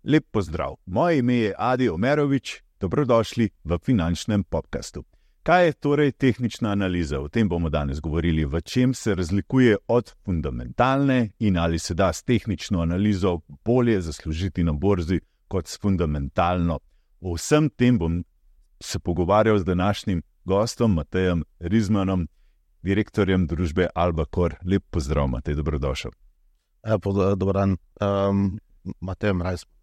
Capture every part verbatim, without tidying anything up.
Lep pozdrav, moje ime je Adi Omerovič, dobrodošli v finančnem podcastu. Kaj je torej tehnična analiza? O tem bomo danes govorili, v čem se razlikuje od fundamentalne in ali se da s tehnično analizo bolje zaslužiti na borzi kot s fundamentalno. O vsem tem bom se pogovarjal z današnjim gostom Matejem Rizmanom, direktorjem družbe Albacor. Lep pozdrav, Matej, dobrodošel. Ja, dober dan, um, Matejem Rizman.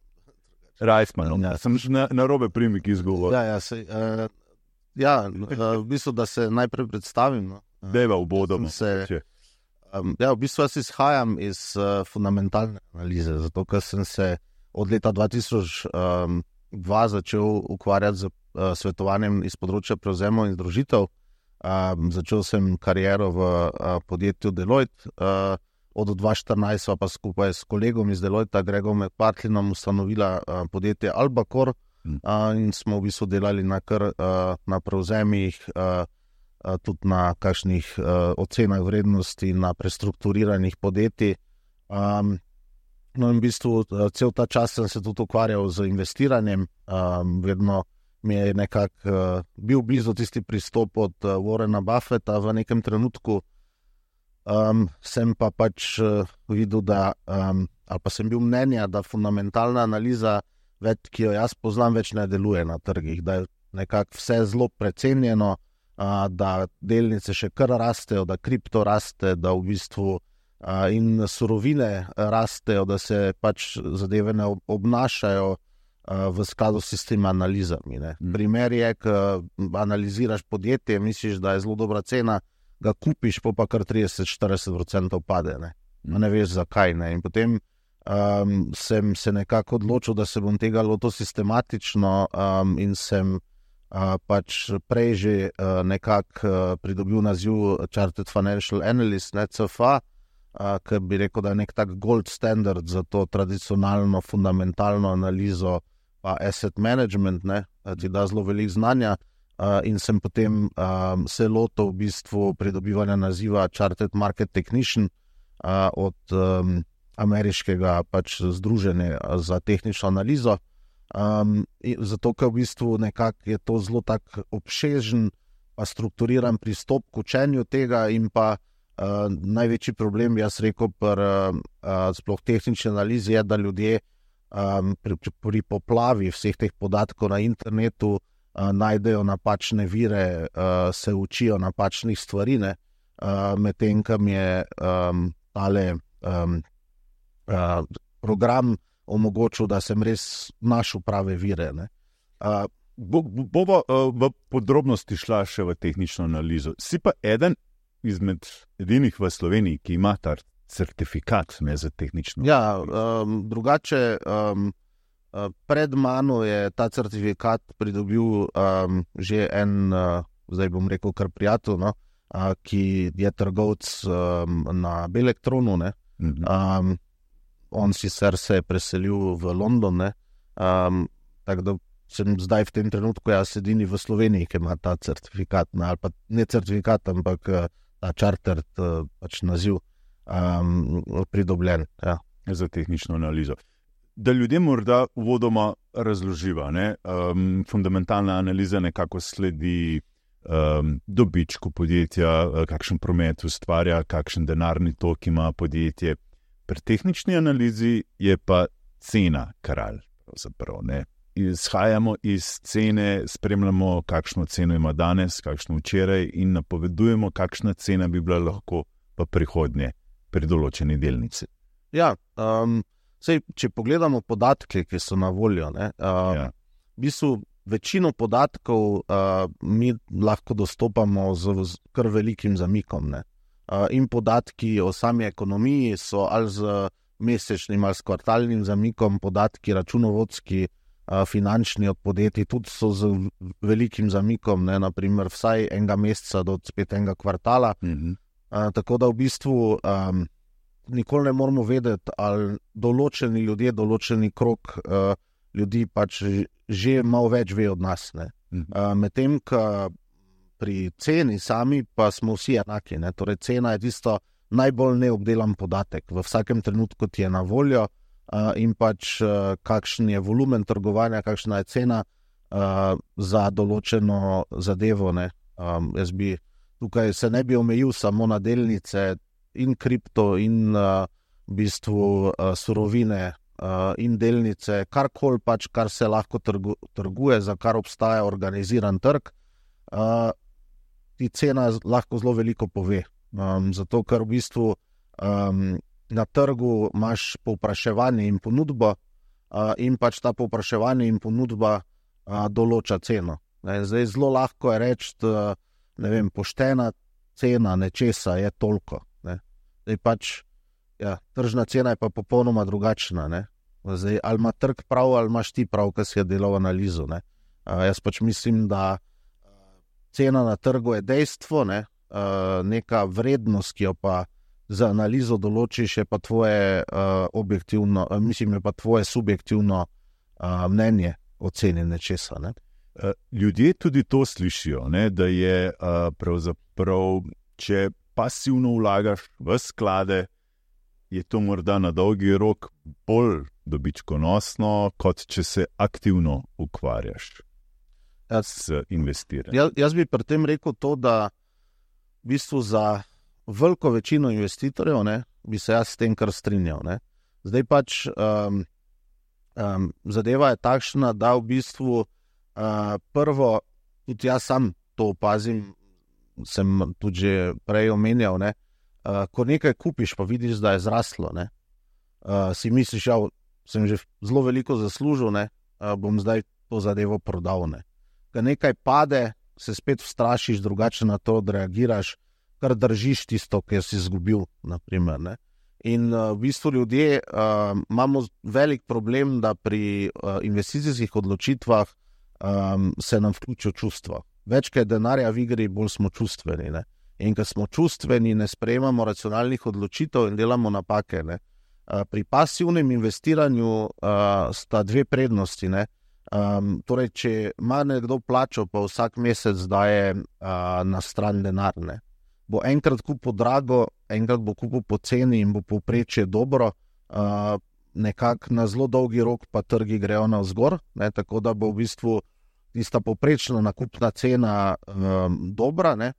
Rizman, ja. Sem na, na robe primik izgovor. Ja, ja, sej, uh, ja uh, v bistvu, da se najprej predstavim. No. Dejva ubodoma. Se, um, ja, v bistvu jaz izhajam iz uh, fundamentalne analize, zato ker sem se od leta dva tisoč dva začel ukvarjati z uh, svetovanjem iz področja prevzemov in združitev. Um, začel sem kariero v uh, podjetju Deloitte, uh, od dva tisoč štirinajst pa skupaj s kolegom iz Deloitta, Gregom McPartlinom, ustanovila uh, podjetje Albacor hmm. uh, in smo v bistvu delali na, kar, uh, na prevzemih, uh, uh, tudi na kakšnih uh, ocenah vrednosti, na prestrukturiranih podjetij. Um, no in v bistvu uh, cel ta čas sem se tudi ukvarjal z investiranjem, um, vedno mi je nekako uh, bil blizu tisti pristop od uh, Warrena Buffetta v nekem trenutku. Um, sem pa pač uh, videl, da, um, ali pa sem bil mnenja, da fundamentalna analiza, več, ki jo jaz poznam, več ne deluje na trgih, da je nekako vse zelo precenjeno, uh, da delnice še kar rastejo, da kripto raste, da v bistvu uh, in surovine rastejo, da se pač zadeve ne obnašajo uh, v skladu s tistimi analizami. Ne. Mm. Primer je, ko analiziraš podjetje, misliš, da je zelo dobra cena, ga kupiš, pa kar trideset do štirideset procentov pade, ne. Mm. Ne veš zakaj, ne. In potem um, sem se nekako odločil, da se bom tega lotil sistematično um, in sem uh, pač prej že uh, nekako uh, pridobil naziv Chartered Financial Analyst, ne, C F A, uh, ker bi rekel, da je nek tak gold standard za to tradicionalno, fundamentalno analizo pa asset management, ne, ti da zelo veliko znanja. Uh, in sem potem um, se lotil v bistvu pridobivanja naziva Chartered Market Technician uh, od um, ameriškega pač združenja za tehnično analizo. Um, zato, ker v bistvu nekako je to zelo tak obsežen pa strukturiran pristop k učenju tega in pa uh, največji problem, jaz rekel, pri uh, sploh tehnični analizi je, da ljudje um, pri, pri poplavi vseh teh podatkov na internetu Uh, najdejo napačne vire, uh, se učijo napačnih stvari, ne, uh, medtem ko mi je um, tale um, uh, program omogočil, da sem res našel prave vire. Ne. Uh, bo, bova uh, v podrobnosti šla še v tehnično analizo. Si pa eden izmed edinih v Sloveniji, ki ima ta certifikat ne, za tehnično ja, um, drugače um, pred mano je ta certifikat pridobil um, že en, uh, zdaj bom rekel kar prijatelj, no, uh, ki je trgovec um, na Belektronu. Ne. Mm-hmm. Um, on sicer se je preselil v London, ne. Um, tako da sem zdaj v tem trenutku jaz edini v Sloveniji, ki ima ta certifikat, ne, ali pa ne certifikat, ampak uh, ta chartered uh, pač naziv um, pridobljen. Ja. Za tehnično analizo. Da ljudje morda uvodoma razloživa, ne? Um, fundamentalna analiza nekako sledi um, dobičku podjetja, kakšen promet ustvarja, kakšen denarni tok ima podjetje. Pri tehnični analizi je pa cena kralj. Pravzaprav, ne? Izhajamo iz cene, spremljamo, kakšno ceno ima danes, kakšno včeraj in napovedujemo, kakšna cena bi bila lahko v prihodnje pri določeni delnici. Ja, um... Sej, če pogledamo podatke, ki so na voljo, ne, uh, ja. v bistvu večino podatkov uh, mi lahko dostopamo z, z kar velikim zamikom. Ne. Uh, in podatki o sami ekonomiji so ali z mesečnim ali s kvartalnim zamikom, podatki računovodski, uh, finančni od podjetij tudi so z velikim zamikom, ne, naprimer vsaj enega meseca do spet enega kvartala. Mhm. Uh, tako da v bistvu um, nikoli ne moramo vedeti, ali določeni ljudje, določeni krog uh, ljudi pač že malo več ve od nas. Ne. Mm-hmm. Uh, medtem, ko pri ceni sami pa smo vsi enaki. Ne. Torej, cena je tisto najbolj neobdelan podatek. V vsakem trenutku ti je na voljo uh, in pač uh, kakšen je volumen trgovanja, kakšna je cena uh, za določeno zadevo. Ne. Um, jaz bi tukaj se ne bi omejil samo na delnice in kripto in uh, v bistvu uh, surovine uh, in delnice, karkoli pač, kar se lahko trgu, trguje, za kar obstaja organiziran trg, uh, ti cena lahko zelo veliko pove. Um, zato, ker v bistvu um, na trgu imaš povpraševanje in ponudbo uh, in pač ta povpraševanje in ponudba uh, določa ceno. Ne, zdaj zelo lahko je reči, da ne vem, poštena cena nečesa je toliko. Ne. Zdaj pač, ja, tržna cena je pa popolnoma drugačna. Ne. Zdaj, ali ima trg prav, ali imaš ti prav, ki si je delal analizo. Ne. Uh, jaz pač mislim, da cena na trgu je dejstvo, ne. Uh, neka vrednost, ki jo pa za analizo določiš, je pa tvoje uh, objektivno, uh, mislim, je pa tvoje subjektivno uh, mnenje o ceni nečesa. Ne. Ljudje tudi to slišijo, ne, da je uh, pravzaprav, če pasivno vlagaš v sklade, je to morda na dolgi rok bolj dobičkonosno, kot če se aktivno ukvarjaš jaz, s investiranjem. Jaz, jaz bi pri tem rekel to, da v bistvu za veliko večino investitorjev, ne, bi se jaz s tem kar strinjal. Ne. Zdaj pač um, um, zadeva je takšna, da v bistvu Uh, prvo, tudi jaz sam to opazim, sem tudi že prej omenjal, ne? Uh, ko nekaj kupiš, pa vidiš, da je zraslo, ne? Uh, si misliš, ja, sem že zelo veliko zaslužil, ne? Uh, bom zdaj to zadevo prodal. Ne? Ko nekaj pade, se spet vstrašiš, drugače na to odreagiraš, kar držiš tisto, kar si izgubil, naprimer, ne? In uh, v bistvu ljudje uh, imamo velik problem, da pri uh, investicijskih odločitvah Um, se nam vključijo čustva. Več, kaj denarja v igri, bolj smo čustveni. Ne? In ko smo čustveni, ne sprejemamo racionalnih odločitev in delamo napake. Ne? Uh, pri pasivnem investiranju uh, sta dve prednosti. Ne? Um, torej, če ima nekdo plačo, pa vsak mesec daje uh, na stran denar. Ne? Bo enkrat kupil drago, enkrat bo kupil poceni in bo povprečje dobro, uh, nekako na zelo dolgi rok pa trgi grejo navzgor, ne, tako da bo v bistvu tista povprečna nakupna cena um, dobra. Ne.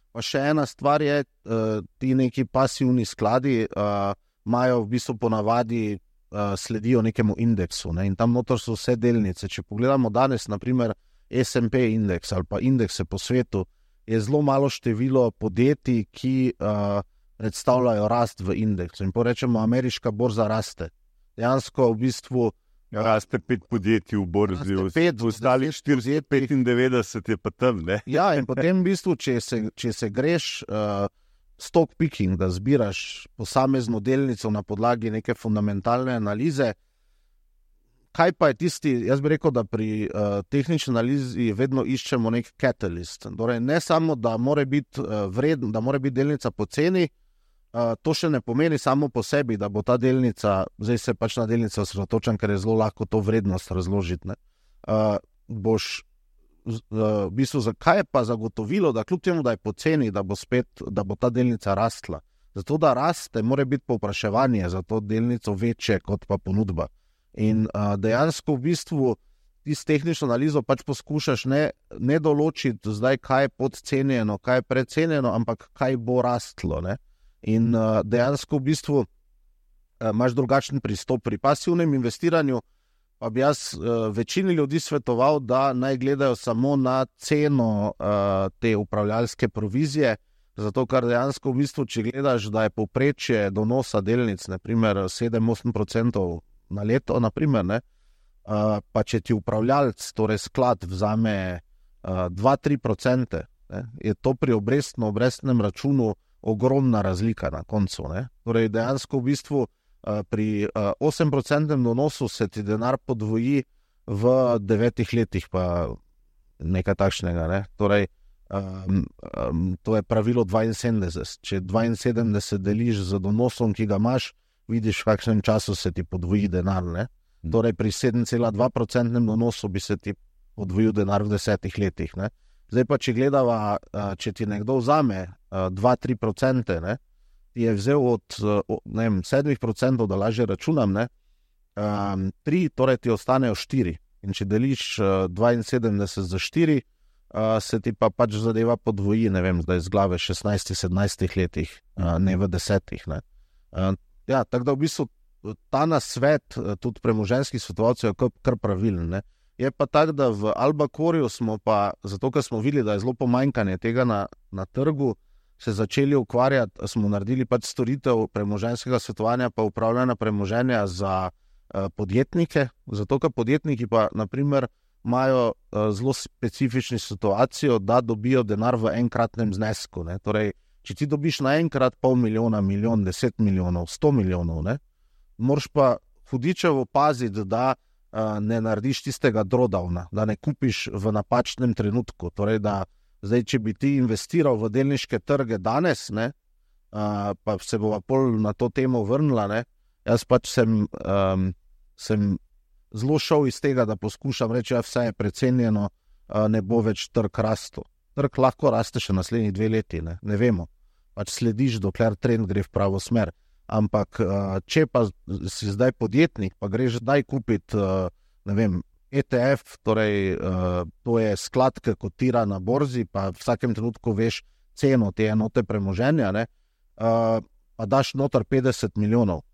Pa še ena stvar je, uh, ti neki pasivni skladi uh, imajo v bistvu ponavadi uh, sledijo nekemu indeksu, ne, in tam notor so vse delnice. Če pogledamo danes, naprimer es em pe indeks ali pa indekse po svetu, je zelo malo število podjetij, ki uh, predstavljajo rast v indeksu. In porečemo, ameriška borza raste. Dejansko v bistvu ja, raste pet podjetij v borzi, ostali štiristo petindevetdeset je pa tam. Ne? Ja, in potem v bistvu, če se, če se greš uh, stock picking, da zbiraš posamezno delnico na podlagi neke fundamentalne analize, kaj pa je tisti, jaz bi rekel, da pri uh, tehnični analizi vedno iščemo nek catalyst. Torej, ne samo, da mora biti uh, vredno, da mora biti delnica poceni, Uh, to še ne pomeni samo po sebi, da bo ta delnica, zdaj se pač na delnico osredotočam, ker je zelo lahko to vrednost razložiti. Ne? Uh, boš, uh, v bistvu, zakaj je pa zagotovilo, da kljub temu, da je poceni, da bo spet, da bo ta delnica rastla. Zato, da raste, mora biti povpraševanje za to delnico večje kot pa ponudba. In uh, dejansko v bistvu ti s tehnično analizo pač poskušaš ne, ne določiti zdaj, kaj je podcenjeno, kaj je precenjeno, ampak kaj bo rastlo, ne? In uh, dejansko v bistvu uh, imaš drugačen pristop pri pasivnem investiranju, pa bi jaz uh, večini ljudi svetoval, da naj gledajo samo na ceno uh, te upravljalske provizije, zato ker dejansko v bistvu, če gledaš, da je povprečje donosa delnic, naprimer sedem do osem procentov na leto, naprimer, ne, uh, pa če ti upravljalc, torej sklad, vzame uh, dva do tri procente, ne, je to pri obrestno-obrestnem računu ogromna razlika na koncu. Ne? Torej, dejansko v bistvu uh, pri uh, osem procentnem donosu se ti denar podvoji v devetih letih, pa nekaj takšnega. Ne? Torej, um, um, to je pravilo dvainsedemdeset. Če dvainsedemdeset deliš z donosom, ki ga imaš, vidiš, v kakšnem času se ti podvoji denar. Ne? Torej, pri sedem cela dva procentnem donosu bi se ti podvojil denar v desetih letih. Ne? Zdaj pa, če gledava, če ti nekdo vzame dva do tri procente, ne, ti je vzel od ne vem, sedem procentov, da lažje računam, ne, um, tri, torej ti ostanejo štiri. In če deliš uh, dvainsedemdeset za štiri, uh, se ti pa pač zadeva podvoji, ne vem, zdaj z glave šestnajst sedemnajst letih, uh, ne v desetih. Ne. Uh, ja, tako da v bistvu ta nasvet, tudi premoženjskih svetovalcev, je kar, kar pravilen. Ne. Je pa tako, da v Albacorju smo pa, zato ker smo videli, da je zelo pomanjkanje tega na, na trgu, se začeli ukvarjati, smo naredili pač storitev premoženjskega svetovanja pa upravljanja premoženja za uh, podjetnike, zato ker podjetniki pa, na primer, imajo uh, zelo specifično situacijo, da dobijo denar v enkratnem znesku. Ne. Torej, če ti dobiš naenkrat pol milijona, milijon, deset milijonov, sto milijonov, ne, moraš pa hudičevo paziti, da uh, ne narediš tistega drawdowna, da ne kupiš v napačnem trenutku. Torej, da zdaj, če bi ti investiral v delniške trge danes, ne, uh, pa se bova pol na to temo vrnila, ne, jaz pač sem, um, sem zelo šel iz tega, da poskušam reči, da vse je precenjeno, uh, ne bo več trg rastel. Trg lahko raste še naslednji dve leti, ne, ne vemo. Pač slediš, dokler trend gre v pravo smer. Ampak, uh, če pa si zdaj podjetnik, pa greš zdaj kupiti, uh, ne vem, E T F, torej uh, to je sklad, ki kotira na borzi, pa v vsakem trenutku veš ceno te enote premoženja, ne, uh, pa daš noter petdeset milijonov,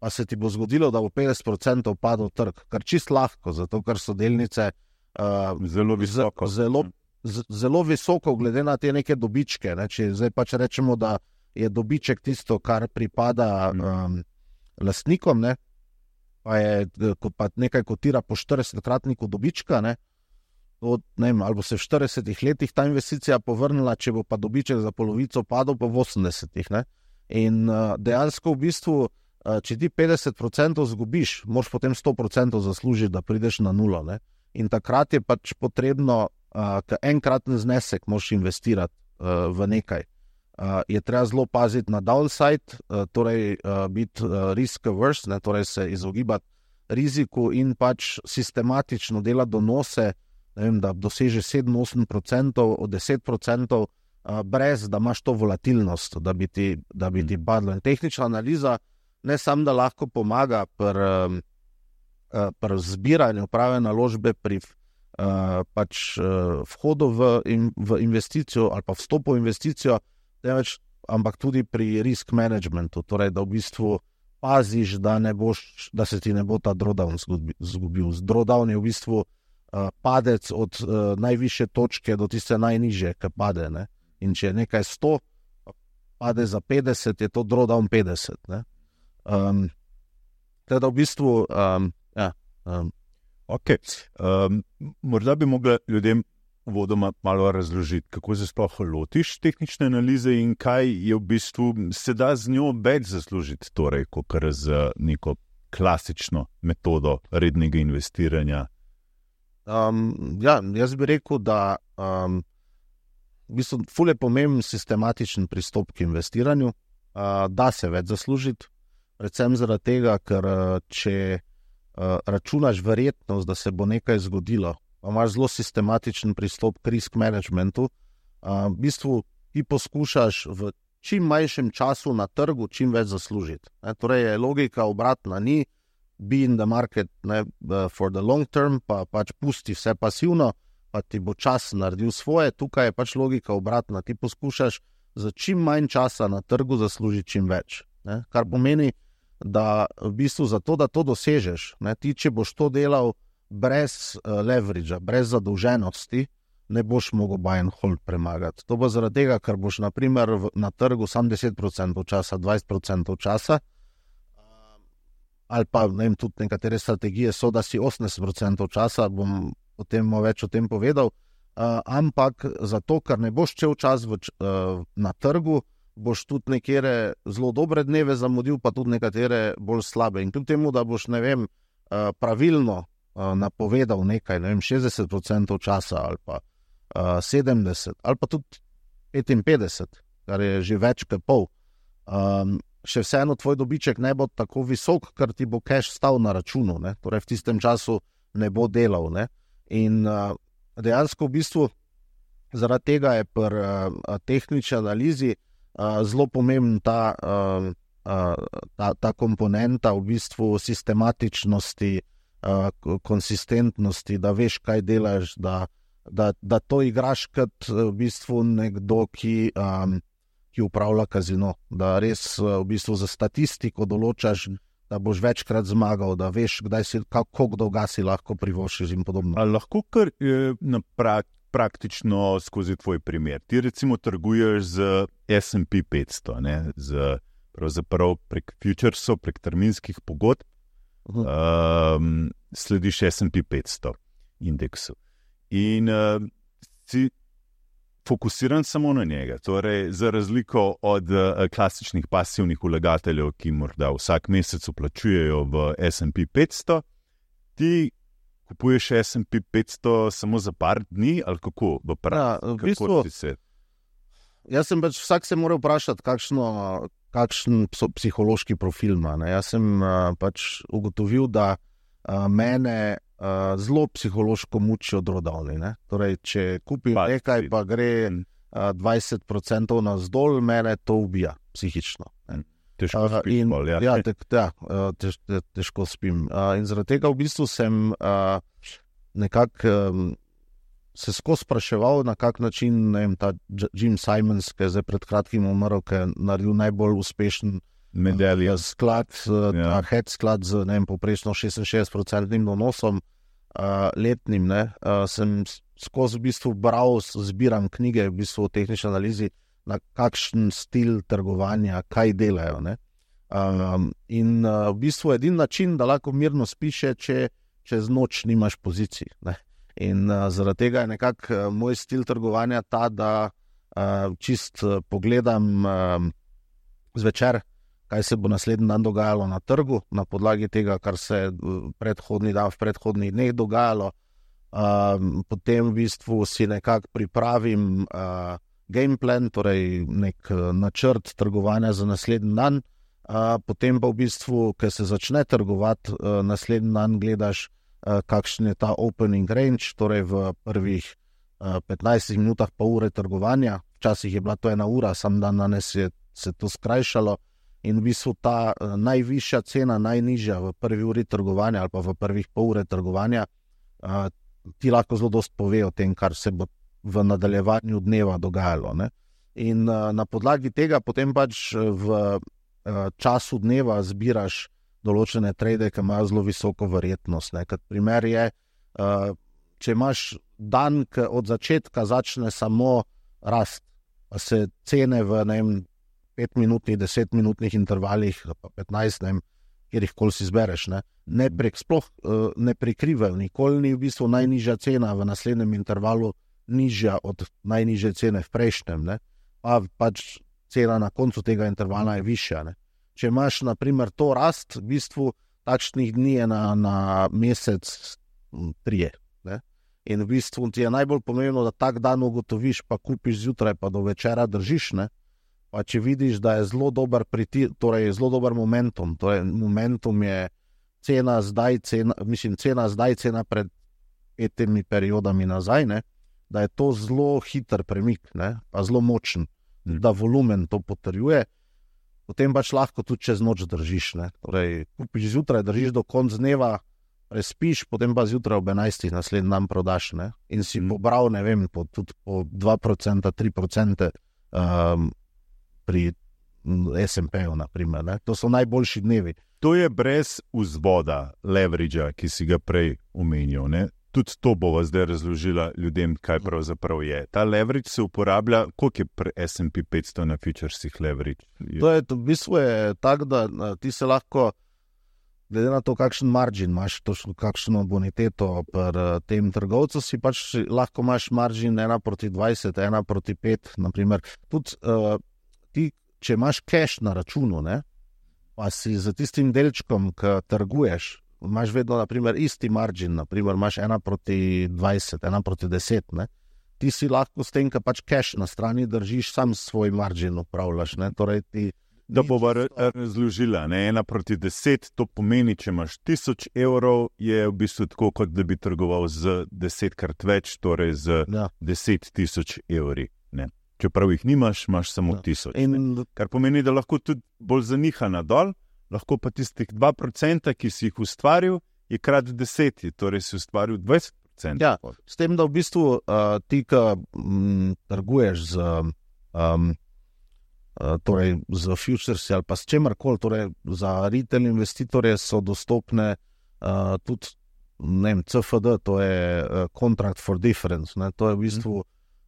pa se ti bo zgodilo, da bo petdeset procentov padel trg, kar čist lahko, zato ker so delnice uh, zelo visoko. Z, zelo, z, zelo visoko glede na te neke dobičke. Ne, če zdaj pač rečemo, da je dobiček tisto, kar pripada um, lastnikom, ne, pa je pa nekaj kotira po štiridesetkratniku dobička, ne, od, ne vem, ali bo se v štiridesetih letih ta investicija povrnila, če bo pa dobiček za polovico padel pa v osemdesetih. Ne. In uh, dejansko v bistvu, uh, če ti petdeset procentov zgubiš, moraš potem sto procentov zaslužiti, da prideš na nulo. Ne. In takrat je pač potrebno, uh, ka enkraten znesek moraš investirati uh, v nekaj. Uh, je treba zelo paziti na downside, uh, torej uh, biti uh, risk averse, ne, torej se izogibati riziku in pač sistematično delati donose, ne vem, da doseže sedem do osem procentov od deset procentov, uh, brez da imaš to volatilnost, da bi ti, da bi ti padlo. In tehnična analiza ne samo, da lahko pomaga pri, uh, pri zbiranju prave naložbe, pri uh, pač, uh, vhodu v, in, v investicijo ali pa vstopu v investicijo, Neveč, ampak tudi pri risk managementu, torej da v bistvu paziš, da, ne boš, da se ti ne bo ta drawdown zgubil. Drawdown je v bistvu uh, padec od uh, najvišje točke do tiste najnižje, ki pade. Ne? In če je nekaj sto, pade za petdeset, je to drawdown petdeset. Ne? Um, teda v bistvu, um, ja. Um. Ok, um, morda bi mogla ljudem vodoma malo razložiti, kako se sploh lotiš tehnične analize in kaj je v bistvu, se da z njo več zaslužiti, torej, kot z neko klasično metodo rednega investiranja. Um, ja, jaz bi rekel, da um, v bistvu ful je pomemben sistematičen pristop k investiranju, uh, da se več zaslužiti, predvsem zaradi tega, ker če uh, računaš verjetnost, da se bo nekaj zgodilo, pa imaš zelo sistematičen pristop k risk managementu, uh, v bistvu ti poskušaš v čim manjšem času na trgu čim več zaslužiti. Ne, torej je logika obratna, ni be in the market, ne, for the long term, pa pač pusti vse pasivno, pa ti bo čas naredil svoje, tukaj je pač logika obratna, ti poskušaš za čim manj časa na trgu zaslužiti čim več. Ne, kar pomeni, da v bistvu zato, da to dosežeš, ne, ti če boš to delal brez uh, leveragea, brez zadolženosti, ne boš mogel buy and hold premagati. To bo zaradi tega, ker boš na primer v, na trgu samo deset procentov časa, dvajset procentov časa, uh, ali pa ne vem, tudi nekatere strategije so, da si osemdeset procentov časa, bom potem več o tem povedal, uh, ampak zato, ker ne boš čel čas v, uh, na trgu, boš tudi nekatere zelo dobre dneve zamudil, pa tudi nekatere bolj slabe. In kljub temu, da boš, ne vem, uh, pravilno napovedal nekaj, ne vem, šestdeset procentov časa ali pa uh, sedemdeset ali pa tudi petinpetdeset, kar je že več kot pol. Um, še vseeno tvoj dobiček ne bo tako visok, ker ti bo cash stal na računu, ne? Torej v tistem času ne bo delal. Ne? In uh, dejansko v bistvu zaradi tega je pri uh, tehnični analizi uh, zelo pomemben ta, uh, uh, ta, ta komponenta v bistvu sistematičnosti, uh, konsistentnosti, da veš, kaj delaš, da, da, da to igraš kot v bistvu nekdo, ki, um, ki upravlja kazino, da res uh, v bistvu za statistiko določaš, da boš večkrat zmagal, da veš, kdaj si, kako dolga si lahko privoščiš in podobno. A lahko kar eh, na prak, praktično skozi tvoj primer. Ti recimo trguješ z S and P petsto, ne? Z, pravzaprav prek futuresov, prek terminskih pogodb, uh -huh. um, slediš S and P petsto indeksu. In uh, si fokusiran samo na njega. Torej, za razliko od uh, klasičnih pasivnih vlagateljev, ki morda vsak mesec vplačujejo v S and P petsto, ti kupuješ S and P petsto samo za par dni, ali kako? V ja, v bistvu, se... Jaz sem pač, vsak se mora vprašati, kakšno, kakšen psihološki profil ima. Ne? Jaz sem uh, pač ugotovil, da uh, mene Uh, zelo psihološko mučijo drawdowni. Torej, če kupim pa, nekaj, pa gre uh, dvajset procentov navzdol, mene to ubija psihično. Težko uh, spim. Bol, ja. Ja, te, ja, tež, te, težko spim. Uh, in zaradi tega v bistvu sem uh, nekako um, se skozi spraševal, na kak način, ne vem, ta Jim Simons, ki je zdaj pred kratkim umrl, ki je naredil najbolj uspešen medalja sklad, ja. Ta hedge sklad z, ne vem, poprečno šestinšestdeset procentnim donosom uh, letnim, ne, uh, sem skozi v bistvu bral, zbiram knjige v bistvu o tehnični analizi, na kakšen stil trgovanja, kaj delajo, ne. Um, in uh, v bistvu edin način, da lahko mirno spiše, če čez noč nimaš pozicij, ne. In uh, zaradi tega je nekako uh, moj stil trgovanja ta, da uh, čist uh, pogledam uh, zvečer, kaj se bo naslednji dan dogajalo na trgu, na podlagi tega, kar se predhodni dan v predhodnih dneh dogajalo. Um, potem v bistvu si nekako pripravim uh, game plan, torej nek uh, načrt trgovanja za naslednji dan. Uh, potem pa v bistvu, ko se začne trgovati, uh, naslednji dan gledaš, uh, kakšen je ta opening range, torej v prvih uh, petnajstih minutah pa ure trgovanja. Včasih je bila to ena ura, sam dan danes je se to skrajšalo. In v bistvu ta uh, najvišja cena, najnižja v prvi uri trgovanja ali pa v prvih pol ure trgovanja, uh, ti lahko zelo dosti pove o tem, kar se bo v nadaljevanju dneva dogajalo. Ne? In uh, na podlagi tega potem pač v uh, času dneva zbiraš določene trade, ki imajo zelo visoko verjetnost. Ne? Kot primer je, uh, če imaš dan, ki od začetka začne samo rast, pa se cene v, ne vem, petminutnih, desetminutnih intervalih, pa petnajst, ne vem, kjer jih koli si zbereš, ne, ne prek sploh uh, ne prikrivajo, nikoli ni v bistvu najnižja cena v naslednjem intervalu nižja od najnižje cene v prejšnjem, ne, pa pač cena na koncu tega intervala je višja, ne. Če imaš, na primer, to rast, v bistvu takšnih dni je na, na mesec trije, ne, in v bistvu ti je najbolj pomembno, da tak dan ugotoviš, pa kupiš zjutraj, pa do večera držiš, ne. Pa če vidiš, da je zelo dober priti, torej zelo dober momentum, torej momentum je cena zdaj, cena, mislim, cena zdaj, cena pred petimi periodami nazaj, ne, da je to zelo hiter premik, ne, pa zelo močen, mm. da volumen to potrjuje, potem pač lahko tudi čez noč držiš, ne, torej kupiš zjutraj, držiš do konca dneva, prespiš, potem pa zjutraj ob enajstih naslednji dan prodaš, ne, in si mm. pobral, ne vem, po, tudi po dva procenta, tri procente um, pri S and P-u, naprimer. Ne? To so najboljši dnevi. To je brez vzvoda, leveragea, ki si ga prej omenil. Ne? Tudi to bova zdaj razložila ljudem, kaj pravzaprav je. Ta leverage se uporablja, koliko je pri S and P petsto na futuresih leverage? To je, to v bistvu je tako, da ti se lahko, glede na to, kakšen margin imaš, točno kakšno boniteto pri tem trgovcu, si pač lahko imaš margin ena proti dvajset, ena proti pet, naprimer. Tudi uh, ti, če imaš cash na računu, ne, pa si za tistim delčkom, ki trguješ, imaš vedno, naprimer, isti margin, naprimer, imaš ena proti dvajset, ena proti deset, ne, ti si lahko s tem, ki pač cash na strani držiš, sam svoj margin upravljaš, ne, torej ti... Da bova razložila, ne, ena proti deset, to pomeni, če imaš tisoč evrov, je v bistvu tako, kot da bi trgoval z desetkrat več, torej z ja. deset tisoč evri, ne. čeprav jih nimaš, imaš samo Ja. tisoč. In Kar pomeni, da lahko tudi bolj zaniha nadol, lahko pa tistih dva procenta, ki si jih ustvaril, je krat deset, torej si ustvaril dvajset procentov. Ja. s tem, da v bistvu uh, ti, ki mm, trguješ z, um, uh, torej z futuresi ali pa s čemarkoli, torej za retail investitorje so dostopne uh, tudi, ne vem, C F D, to je uh, Contract for Difference, ne? To je v bistvu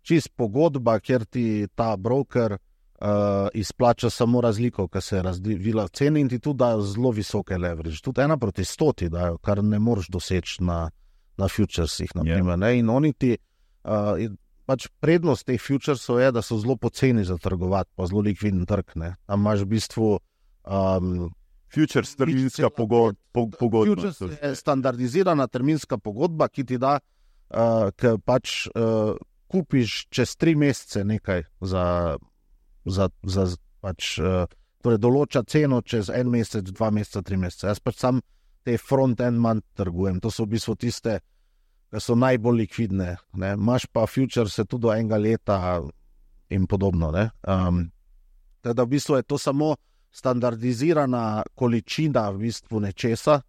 čist pogodba, kjer ti ta broker uh, izplača samo razliko, ki se je razvila v ceni in ti tudi dajo zelo visoke leverage. Tudi ena proti stoti dajo, kar ne moreš doseči na, na futuresih. Naprimer, yeah. In oni ti, uh, in pač prednost teh futuresov je, da so zelo poceni za trgovati, pa zelo likviden trg. Ne? Tam imaš v bistvu um, Futures, terminska pogod, po, pogodba. Futures je standardizirana terminska pogodba, ki ti da, uh, ki pač uh, kupiš čez tri mesece nekaj za, za, za pač, uh, torej določa ceno čez en mesec, dva meseca, tri mesece. Jaz pač sam te front-end manj trgujem. To so v bistvu tiste, ki so najbolj likvidne. Ne? Imaš pa futures tudi do enega leta in podobno. Ne? Um, teda v bistvu je to samo standardizirana količina v bistvu nečesa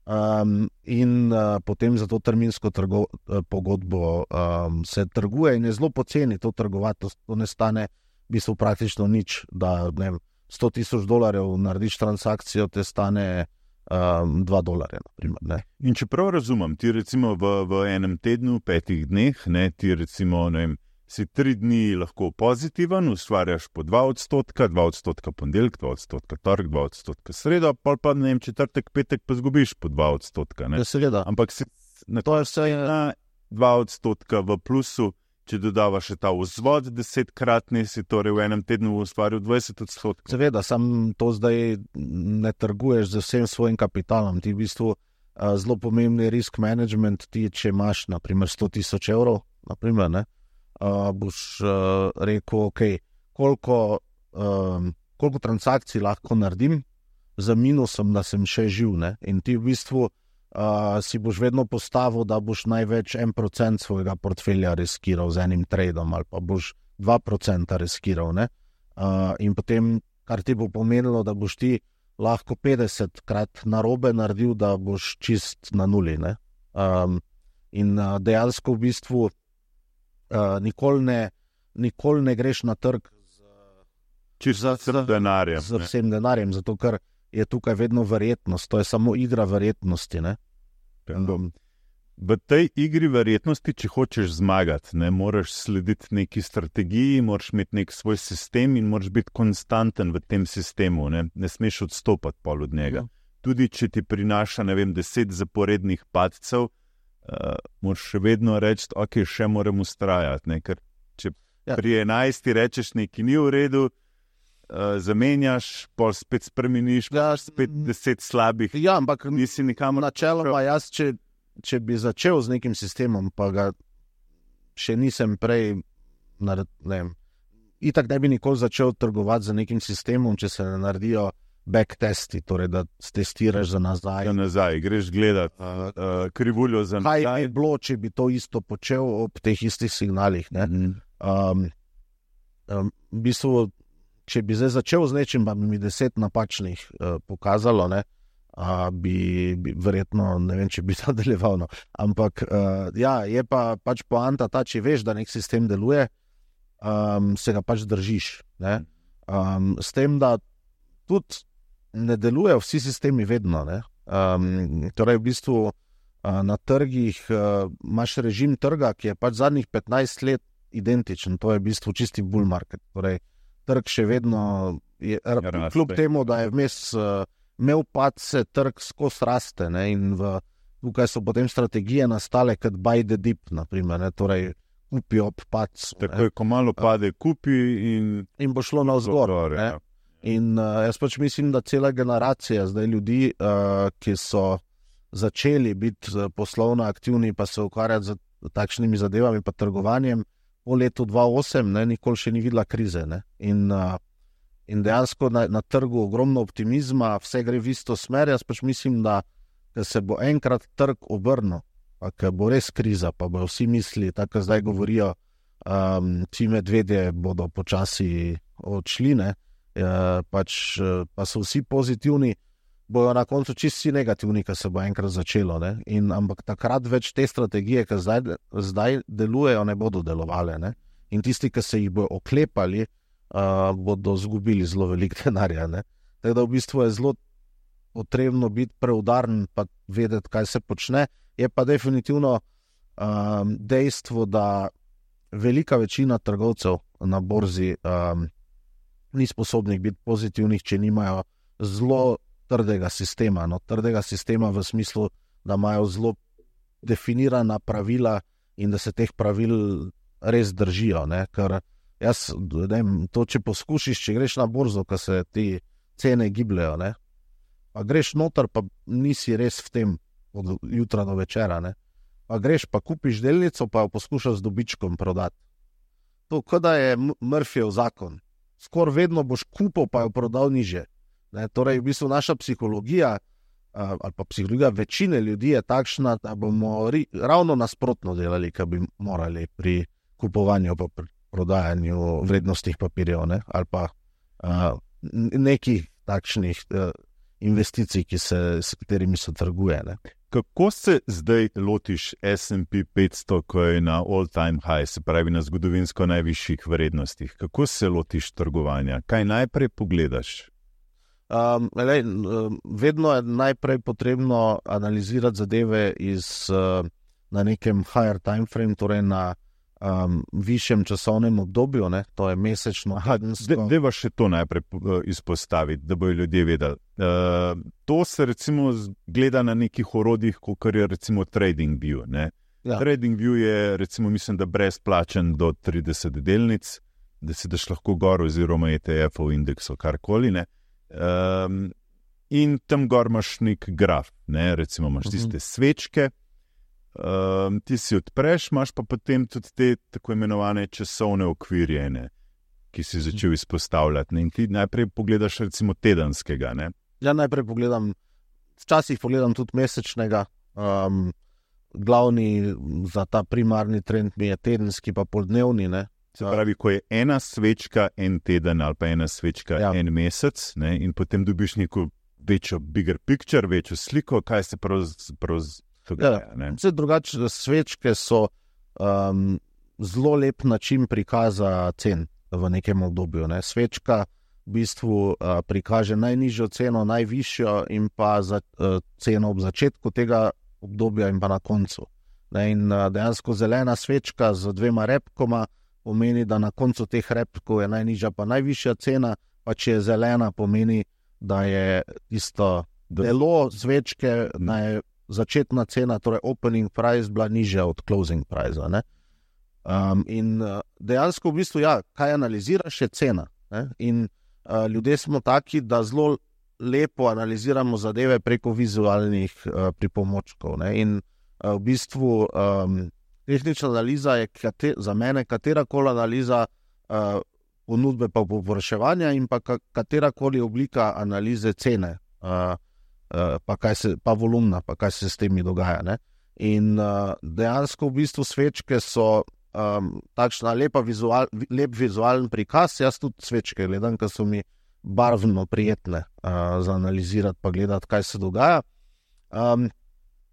um, in uh, potem za to terminsko trgo, pogodbo um, se trguje in je zelo poceni to trgovati. To, to ne stane v bistvu praktično nič, da ne vem, sto tisoč dolarjev narediš transakcijo, te stane um, dva dolarja. Naprimer, ne. In čeprav razumem, ti recimo v, v enem tednu, petih dneh, ne, ti recimo, ne vem, si tri dni lahko pozitiven, ustvarjaš po dva odstotka, dva odstotka ponedeljek, dva odstotka torek, dva odstotka sredo, pol pa ne vem, četrtek, petek pa zgubiš po dva odstotka. Ne? Ja, seveda. Ampak si na To je vse, na dva odstotka v plusu, če dodavaš še ta vzvod desetkratni, si torej v enem tednu ustvaril dvajset odstotkov. seveda, sam to zdaj ne trguješ z vsem svojim kapitalom. Ti v bistvu uh, zelo pomembni risk management, ti, če imaš naprimer sto tisoč evrov, naprimer, ne, uh, boš uh, rekel, ok, koliko, um, koliko transakcij lahko naredim za minusom, da sem še živ. Ne? In ti v bistvu uh, si boš vedno postavil, da boš največ en procent svojega portfelja riskiral z enim tradom ali pa boš dva procenta riskiral. Ne? Uh, in potem, kar ti bo pomenilo, da boš ti lahko petdesetkrat narobe naredil, da boš čist na nuli. Ne? Um, in uh, dejansko v bistvu uh, nikoli, ne, nikoli ne greš na trg Čisto za- z denarjem. z ne. vsem denarjem, zato ker je tukaj vedno verjetnost, to je samo igra verjetnosti. Ne? Um, V tej igri verjetnosti, če hočeš zmagati, ne moraš slediti neki strategiji, moraš imeti nek svoj sistem in moraš biti konstanten v tem sistemu. Ne, ne smeš odstopati pol od njega. Mhm. Tudi če ti prinaša, ne vem, deset zaporednih padcev, uh, moraš še vedno reči, ok, še moram ustrajati. Ne, ker če Ja. pri enajsti rečeš, nekaj ni v redu, uh, zamenjaš, pol spet spremeniš, Ja, spet deset slabih, ja, ampak nisi nikamor. načeloma jaz, če, če bi začel z nekim sistemom, pa ga še nisem prej, nared, ne vem, itak ne bi nikoli začel trgovati z nekim sistemom, če se ne naredijo backtesti, torej da testiraš za nazaj. Ja, nazaj, greš gledat uh, uh, krivuljo za Kaj nazaj. bi bilo, če bi to isto počel ob teh istih signalih? Ne? Mhm. Um, um, v bistvu, če bi zdaj začel z nečim, pa bi mi deset napačnih uh, pokazalo, ne, uh, bi, bi verjetno, ne vem, če bi nadaljeval. No. Ampak uh, ja, je pa pač poanta ta, če veš, da nek sistem deluje, um, se ga pač držiš. Ne. Um, s tem, da tudi ne delujejo vsi sistemi vedno. Ne. Um, torej, v bistvu uh, na trgih uh, imaš režim trga, ki je pač zadnjih petnajst let identičen, to je v bistvu čisti bull market. Torej, trg še vedno je, raste. kljub temu, da je vmes uh, imel padce, trg skozi raste. Ne, in v, tukaj so potem strategije nastale kot buy the dip, naprimer, ne, torej kupi ob padcu. Takoj, ko malo pade, kupi in In bo šlo navzgor. gor, Ne. ja. In uh, jaz pač mislim, da cela generacija zdaj ljudi, uh, ki so začeli biti uh, poslovno aktivni, pa se ukvarjati z takšnimi zadevami, pa trgovanjem, po letu dva tisoč osem, ne, nikoli še ni videla krize. Ne. In, uh, in dejansko na, na trgu ogromno optimizma, vse gre v isto smer. Jaz pač mislim, da ko se bo enkrat trg obrnil, pa ko bo res kriza, pa bo vsi misli, tako kot zdaj govorijo, um, ti medvedje bodo počasi odšli, ne, uh, pač, uh, pa so vsi pozitivni, bojo na koncu čisti negativni, ki se bo enkrat začelo. Ne? In, ampak takrat več te strategije, ki zdaj, zdaj delujejo, ne bodo delovale. Ne? In tisti, ki se jih bojo oklepali, uh, bodo zgubili zelo veliko denarja. Ne? Tako da v bistvu je zelo potrebno biti preudaren, pa vedeti, kaj se počne. Je pa definitivno um, dejstvo, da velika večina trgovcev na borzi um, ni sposobnih biti pozitivnih, če nimajo zelo trdega sistema. No, trdega sistema v smislu, da imajo zelo definirana pravila in da se teh pravil res držijo. Ne? Ker jaz, ne, to, če poskušiš, če greš na borzo, ko se ti cene gibljajo, ne? Pa greš noter, pa nisi res v tem od jutra do večera. Ne? Pa greš, pa kupiš delnico, pa jo poskušaš z dobičkom prodati. To, kot da je Murphyjev zakon. Skoraj vedno boš kupil, pa jo prodal niže. Ne, torej, v bistvu naša psihologija ali pa psihologija večine ljudi je takšna, da bomo ri, ravno nasprotno delali, kar bi morali pri kupovanju pa pri prodajanju vrednostnih papirjev, ne, ali pa a, nekih takšnih a, investicij, ki se, s katerimi se trguje. Ne. Kako se zdaj lotiš S and P petsto, ko je na all-time high, se pravi na zgodovinsko najvišjih vrednostih? Kako se lotiš trgovanja? Kaj najprej pogledaš? Um, lej, vedno je najprej potrebno analizirati zadeve iz, uh, na nekem higher time frame, torej na um, višjem časovnem obdobju, ne? To je mesečno. Deva še to najprej izpostaviti, da bojo ljudje vedeli. Uh, to se recimo gleda na nekih orodjih, kot je recimo TradingView. Ne? Ja. TradingView je recimo, mislim, da brezplačen do trideset delnic, da si daš lahko gor oziroma E T F-ov indeksov, karkoli, ne. Um, in tam gor imaš nek graf, ne? Recimo imaš tiste svečke, um, ti si odpreš, imaš pa potem tudi te tako imenovane časovne okvirje, ne? Ki si začel izpostavljati. Ne? In ti najprej pogledaš recimo tedenskega. Ne? Ja, najprej pogledam, včasih pogledam tudi mesečnega. Um, glavni za ta primarni trend mi je tedenski pa poldnevni, ne? Se pravi, ko je ena svečka en teden ali pa ena svečka ja. en mesec, ne, in potem dobiš neko večjo bigger picture, večjo sliko, kaj se pravzaprav dogaja. Ja, vse drugače, svečke so um, zelo lep način prikaza cen v nekem obdobju. Ne. Svečka v bistvu uh, prikaže najnižjo ceno, najvišjo in pa za, uh, ceno ob začetku tega obdobja in pa na koncu. Ne, in uh, dejansko zelena svečka z dvema repkoma pomeni, da na koncu teh repkov je najnižja pa najvišja cena, pa če je zelena, pomeni, da je tisto delo svečke, da je začetna cena, torej opening price, bila nižja od closing price. Ne? Um, in dejansko v bistvu, ja, kaj analiziraš, je cena. Ne? In uh, ljudje smo taki, da zelo lepo analiziramo zadeve preko vizualnih uh, pripomočkov. Ne? In uh, v bistvu um, tehnična analiza je kate, za mene katerakoli analiza uh, ponudbe pa povpraševanja in pa katerakoli oblika analize cene, uh, uh, pa, kaj se, pa volumna, pa kaj se s temi dogaja. Ne? In uh, dejansko v bistvu svečke so um, takšna lepa vizual, lep vizualen prikaz. Jaz tudi svečke gledam, ker so mi barvno prijetne uh, za analizirati pa gledati, kaj se dogaja. Um,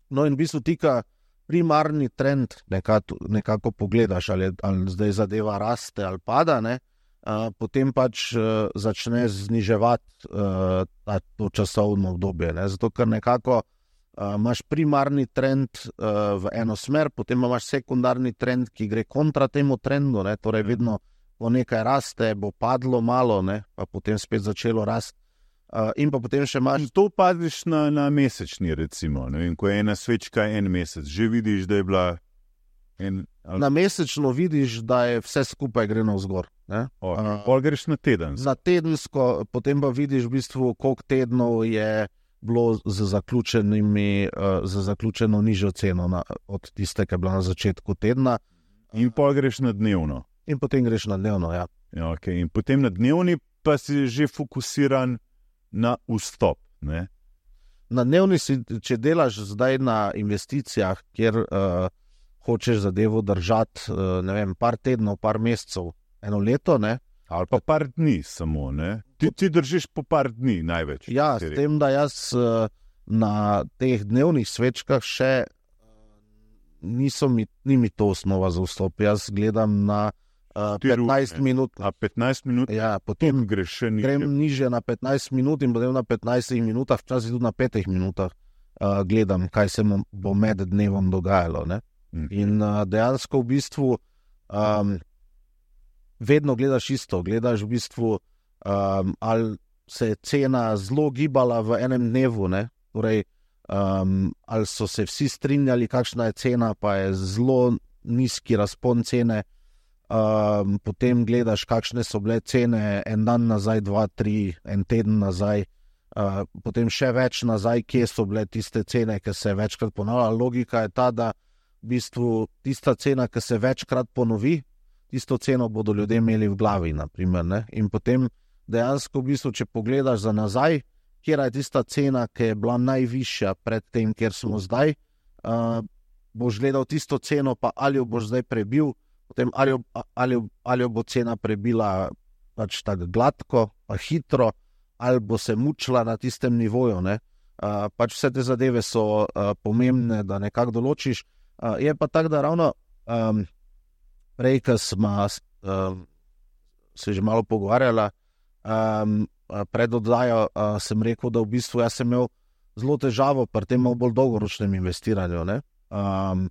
no in v bistvu tika primarni trend nekako, nekako pogledaš, ali, ali zdaj zadeva raste ali pada, ne? Uh, potem pač uh, začne zniževati uh, to časovno obdobje. Ne? Zato, ker nekako uh, imaš primarni trend uh, v eno smer, potem imaš sekundarni trend, ki gre kontra temu trendu, ne? Torej vedno po nekaj raste, bo padlo malo, ne? Pa potem spet začelo rasti. Uh, in pa potem še imaš... To padiš na, na mesečni, recimo. Ne? In ko je ena svečka en mesec, že vidiš, da je bila... En, ali... Na mesečno vidiš, da je vse skupaj gre navzgor. Okay. Uh, Pol greš na tedensko. Na tedensko, potem pa vidiš v bistvu, koliko tednov je bilo z, zaključenimi, uh, z zaključeno nižjo ceno na, od tiste, ki je bila na začetku tedna. In pol greš na dnevno. In potem greš na dnevno, ja. Ja, okay. In potem na dnevni pa si že fokusiran na vstop. Ne? Na dnevni si, če delaš zdaj na investicijah, kjer uh, hočeš zadevo držati, ne vem, par tednov, par mesecev, eno leto, ne. Ali pa par dni samo, ne? Ti, ti držiš po par dni največ. Ja, s tem, da jaz na teh dnevnih svečkah še niso mi, ni mi to osnova za vstop. Jaz gledam na uh, petnajst minut. A petnajst minut? Ja, potem greš še nižje. Grem nižje na petnajst minut in potem na petnajstih minutah, včasih tudi na petih minutah uh, gledam, kaj se bo med dnevom dogajalo, ne? Mm. In uh, dejansko v bistvu um, vedno gledaš isto, gledaš v bistvu, um, ali se je cena zelo gibala v enem dnevu, ne? Torej, um, ali so se vsi strinjali, kakšna je cena, pa je zelo nizki razpon cene, um, potem gledaš, kakšne so bile cene en dan nazaj, dva, tri, en teden nazaj, uh, potem še več nazaj, kje so bile tiste cene, ki se večkrat ponavlja. Logika je ta, da v bistvu tista cena, ki se večkrat ponovi, tisto ceno bodo ljudje imeli v glavi, naprimer, ne? In potem dejansko v bistvu, če pogledaš za nazaj, kjer je tista cena, ki je bila najvišja pred tem, kjer smo zdaj, uh, boš gledal tisto ceno, pa ali jo boš zdaj prebil, potem ali jo, ali, ali jo bo cena prebila pač tako gladko, pa hitro, ali bo se mučila na tistem nivoju, ne? Uh, pač vse te zadeve so uh, pomembne, da nekako določiš. Uh, je pa tako, da ravno um, prej, ko smo um, se že malo pogovarjala, um, pred oddajo uh, sem rekel, da v bistvu jaz sem imel zelo težavo pri tem bolj dolgoročnem investiranju, ne? Um,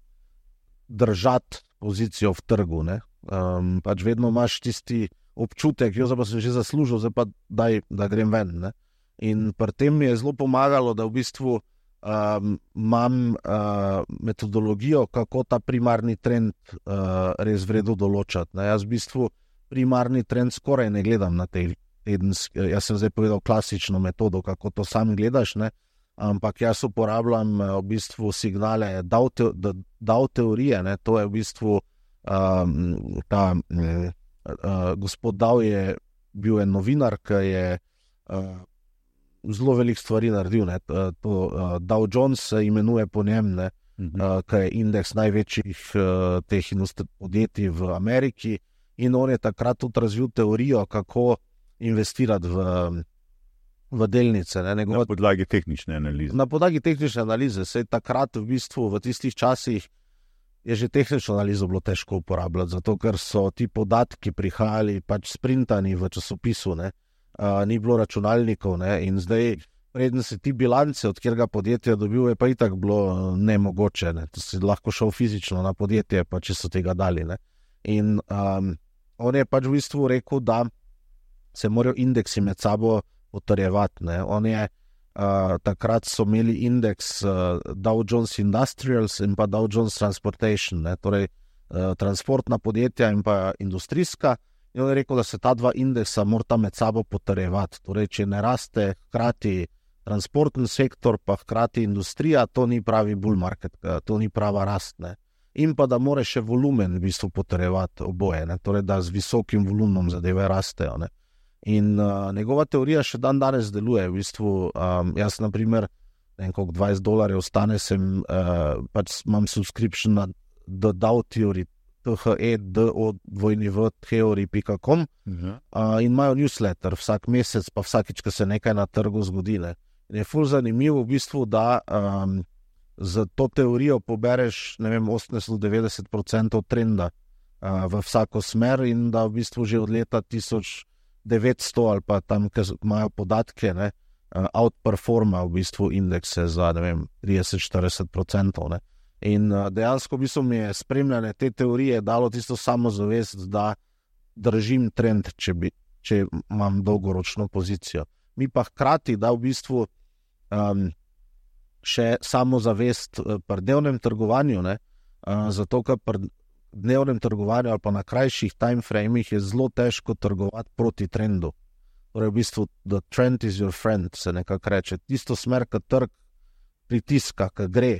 držati pozicijo v trgu, ne? Um, pač vedno imaš tisti občutek, jo zdaj pa sem že zaslužil, zdaj pa daj, da grem ven, ne? In pri tem mi je zelo pomagalo, da v bistvu Um, imam uh, metodologijo, kako ta primarni trend uh, res vredu določati. Ne? Jaz v bistvu primarni trend skoraj ne gledam na tej tedenski, jaz sem zdaj povedal klasično metodo, kako to sam gledaš, ne? Ampak jaz uporabljam uh, v bistvu signale Dow, te, Dow teorije, ne? To je v bistvu um, ta uh, uh, gospod Dow je bil en novinar, ki je uh, zelo veliko stvari naredil, ne. To, uh, Dow Jones se imenuje po njem, ne, uh-huh. uh, ki je indeks največjih uh, teh podjetij v Ameriki, in on je takrat tudi razvil teorijo, kako investirati v, v delnice. Ne. Njegova, na podlagi tehnične analize. Na podlagi tehnične analize. Sej takrat v bistvu v tistih časih je že tehnično analizo bilo težko uporabljati, zato ker so ti podatki prihajali pač sprintani v časopisu, ne. Uh, ni bilo računalnikov, ne? In zdaj, preden si ti bilance, od kjerega podjetja dobil, je pa itak bilo nemogoče, ne? To si lahko šel fizično na podjetje, pa če so tega dali, ne? In um, on je pač v bistvu rekel, da se morajo indeksi med sabo potrjevati, ne? On je, uh, takrat so imeli indeks uh, Dow Jones Industrials in pa Dow Jones Transportation, ne? Torej uh, transportna podjetja in pa industrijska. In on je rekel, da se ta dva indeksa morata med sabo potrjevati. Torej, če ne raste hkrati transportni sektor, pa hkrati industrija, to ni pravi bull market, to ni prava rast, ne. In pa da more še volumen v bistvu potrjevati oboje, ne. Torej, da z visokim volumnom zadeve rastejo, ne. In uh, njegova teorija še dan danes deluje. V bistvu, um, jaz na primer, ne vem koliko dvajset dolarjev stane, sem, uh, pač imam subscription na The Dow Theory, T H E D O W theory pika com, uh-huh. uh, in imajo newsletter vsak mesec, pa vsakič, ko se nekaj na trgu zgodi, ne. In je ful zanimivo v bistvu, da um, z to teorijo pobereš, ne vem, osemdeset do devetdeset procentov trenda uh, v vsako smer, in da v bistvu že od leta tisoč devetsto ali pa tam, ki imajo podatke, ne, uh, outperforma v bistvu indekse za, ne vem, trideset do štirideset procentov, ne. In dejansko v bistvu mi je spremljanje te teorije dalo tisto samozavest, da držim trend, če, bi, če imam dolgoročno pozicijo. Mi pa hkrati da v bistvu um, še samozavest pri dnevnem trgovanju, ne, uh, zato ker pri dnevnem trgovanju ali pa na krajših time framih je zelo težko trgovati proti trendu. Torej v bistvu the trend is your friend, se nekako reče. Tisto smer, ki trg pritiska, ki gre,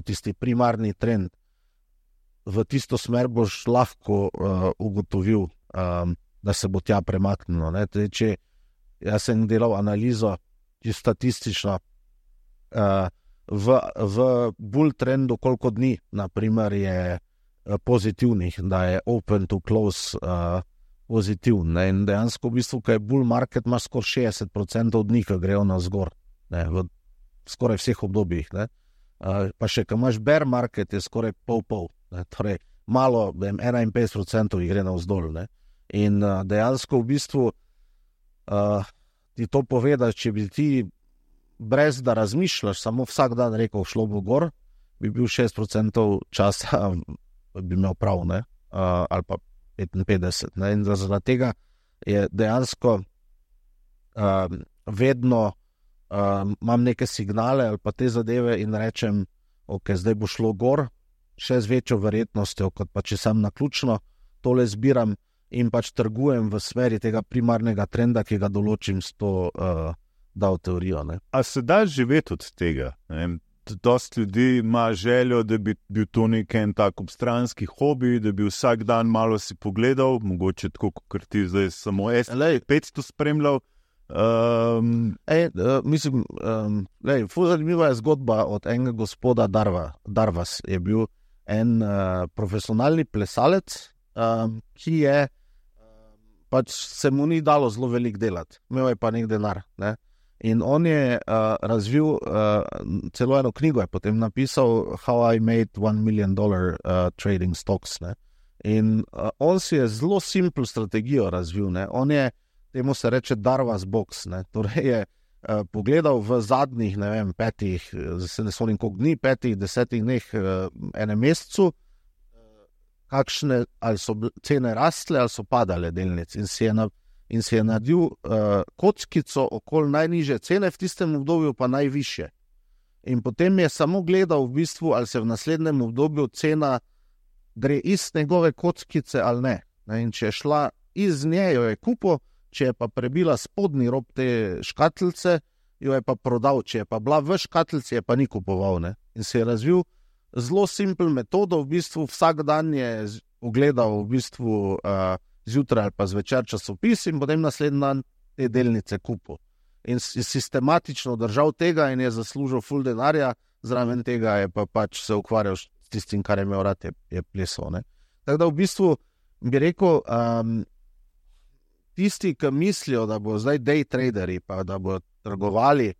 tisti primarni trend, v tisto smer boš lahko uh, ugotovil, um, da se bo tja premaknilo, ne. Tudi, če jaz sem delal analizo statistično uh, v, v bull trendu, koliko dni, naprimer je uh, pozitivnih, da je open to close uh, pozitivn. Ne? In dejansko v bistvu, kaj je bull market, imaš skoraj šestdeset procentov od njih, ki grejo na zgor, ne? V skoraj vseh obdobjih. Ne? Uh, pa še, ko imaš bear market, je skoraj pol-pol. Ne? Torej, malo, vem, enainpetdeset procentov jih gre na vzdolj. Ne? In uh, dejansko v bistvu uh, ti to pove, da če bi ti brez da razmišljaš, samo vsak dan rekel, šlo bo gor, bi bil šest procentov časa, bi imel prav, ne? Uh, ali pa petinpetdeset. Ne? In zaradi tega je dejansko uh, vedno uh, imam neke signale ali pa te zadeve in rečem, ok, zdaj bo šlo gor, še z večjo verjetnostjo, kot pa če sem naključno tole zbiram in pač trgujem v smeri tega primarnega trenda, ki ga določim s to uh, dal teorijo. Ne? A se da živeti od tega? Ne? Dost ljudi ima željo, da bi bil to nek en tak obstranski hobi, da bi vsak dan malo si pogledal, mogoče tako, kot ti zdaj samo S petsto spremljal. Um... Ej, uh, mislim, um, lej, zanimiva je zgodba od enega gospoda Darva. Darvas je bil en uh, profesionalni plesalec, um, ki je pač se mu ni dalo zelo veliko delati, imel je pa nek denar. Ne? In on je uh, razvil uh, celo eno knjigo, je potem napisal How I Made One Million Dollar uh, Trading Stocks. Ne? In uh, on si je zelo simpel strategijo razvil. Ne? On je, temu se reče Darvas box, ne? Torej je uh, pogledal v zadnjih, ne vem, petih, se ne spomnim koliko dni, petih, desetih dneh, uh, enem mesecu, kakšne, ali so cene rastle, ali so padale delnice. In si je, na, in si je naredil uh, kockico okoli najnižje cene, v tistem obdobju pa najvišje. In potem je samo gledal v bistvu, ali se v naslednjem obdobju cena gre iz njegove kockice ali ne. ne? In če je šla iz nje, jo je kupil, če je pa prebila spodnji rob te škatlice, jo je pa prodal, če je pa bila v škatlici, je pa ni kupoval. Ne? In si je razvil zelo simpel metodo, v bistvu vsak dan je ogledal v bistvu uh, zjutraj ali pa zvečer časopis in potem naslednji dan te delnice kupil. In je sistematično držal tega in je zaslužil ful denarja, zraven tega je pa pač se ukvarjal s tistim, kar je imel rad, je, je plesal. Ne? Tako da v bistvu bi rekel, um, tisti, ki mislijo, da bo zdaj day traderi, pa da bo trgovali,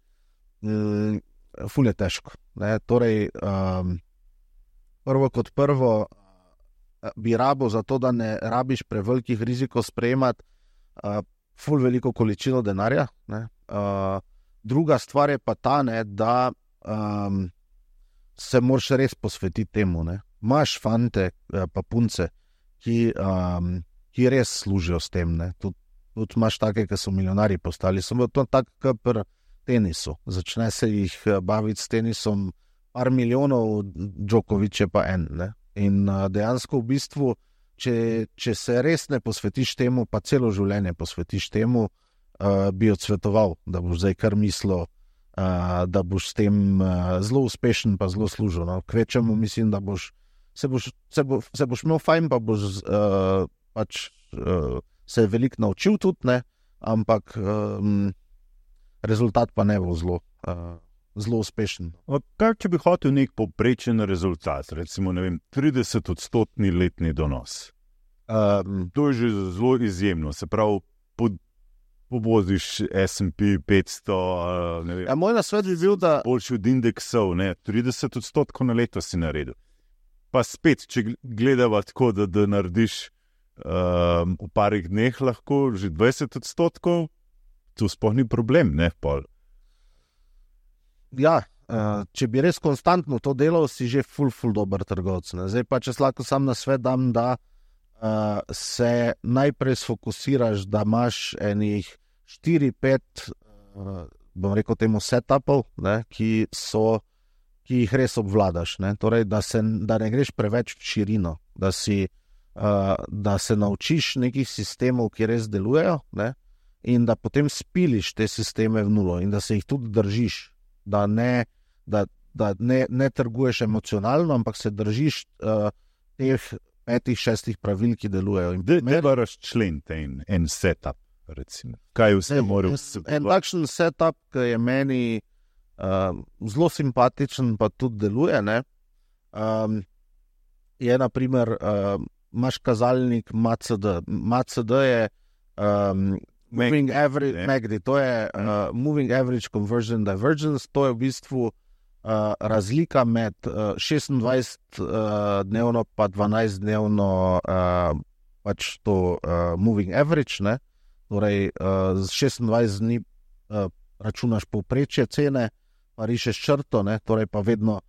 um, ful je težko. Ne? Torej, um, Prvo kot prvo bi rabo za to, da ne rabiš prevelikih rizikov sprejemati uh, ful veliko količino denarja. Ne? Uh, druga stvar je pa ta, ne, da um, se moraš res posvetiti temu. Ne? Imaš fante pa punce, ki, um, ki res služijo s tem. Tudi tud imaš take, ki so milijonari postali. Samo to tako, kot pri tenisu. Začne se jih baviti s tenisom par milijonov, Djokovic je pa en. Ne? In uh, dejansko v bistvu, če, če se res ne posvetiš temu, pa celo življenje posvetiš temu, uh, bi odsvetoval, da boš zdaj kar mislil, uh, da boš s tem uh, zelo uspešen pa zelo služil. No? Kvečemu mislim, da boš se boš, se bo, se boš imel fajn, pa boš uh, pač, uh, se veliko naučil tudi, ne? Ampak um, rezultat pa ne bo zelo uh, zelo uspešen. Kaj, če bi hotel nek povprečen rezultat, recimo, ne vem, trideset odstotni letni donos? Um, to je že zelo izjemno, se pravi, pod, povoziš S and P petsto, ne vem. Ja, moj nasvet bi bil, da... Boljši od indeksov, ne, trideset odstotkov na leto si naredil. Pa spet, če gledava tako, da, da narediš um, v parih dneh lahko že dvajset odstotkov, to sploh ni problem, ne, pol. Ja, če bi res konstantno to delal, si že ful, ful dober trgovec. Ne? Zdaj pa, če lahko sam na svet dam, da uh, se najprej sfokusiraš, da imaš enih štiri pet, uh, bom rekel temu, setupov, ne? Ki so, ki jih res obvladaš. Ne? Torej, da, se, da ne greš preveč v širino, da, si, uh, da se naučiš nekih sistemov, ki res delujejo, ne? In da potem spiliš te sisteme v nulo in da se jih tudi držiš. Da ne, da, da ne, ne trguješ emocionalno, ampak se držiš uh, teh petih, šestih pravil, ki delujejo. Ne pa razčlenite en, en setup, recimo. Kaj vse mora vsebovati? En takšen setup, ki je meni uh, zelo simpatičen, pa tudi deluje, ne? Um, je naprimer, uh, imaš kazalnik M A C D. M A C D je um, moving average, M A C D, to je uh, moving average conversion divergence, to je v bistvu uh, razlika med uh, šestindvajset dnevno pa dvanajst dnevno uh, pač to uh, moving average, ne? Torej uh, z šestindvajset dni uh, računaš povprečje cene, pa rišeš črto, ne? Torej pa vedno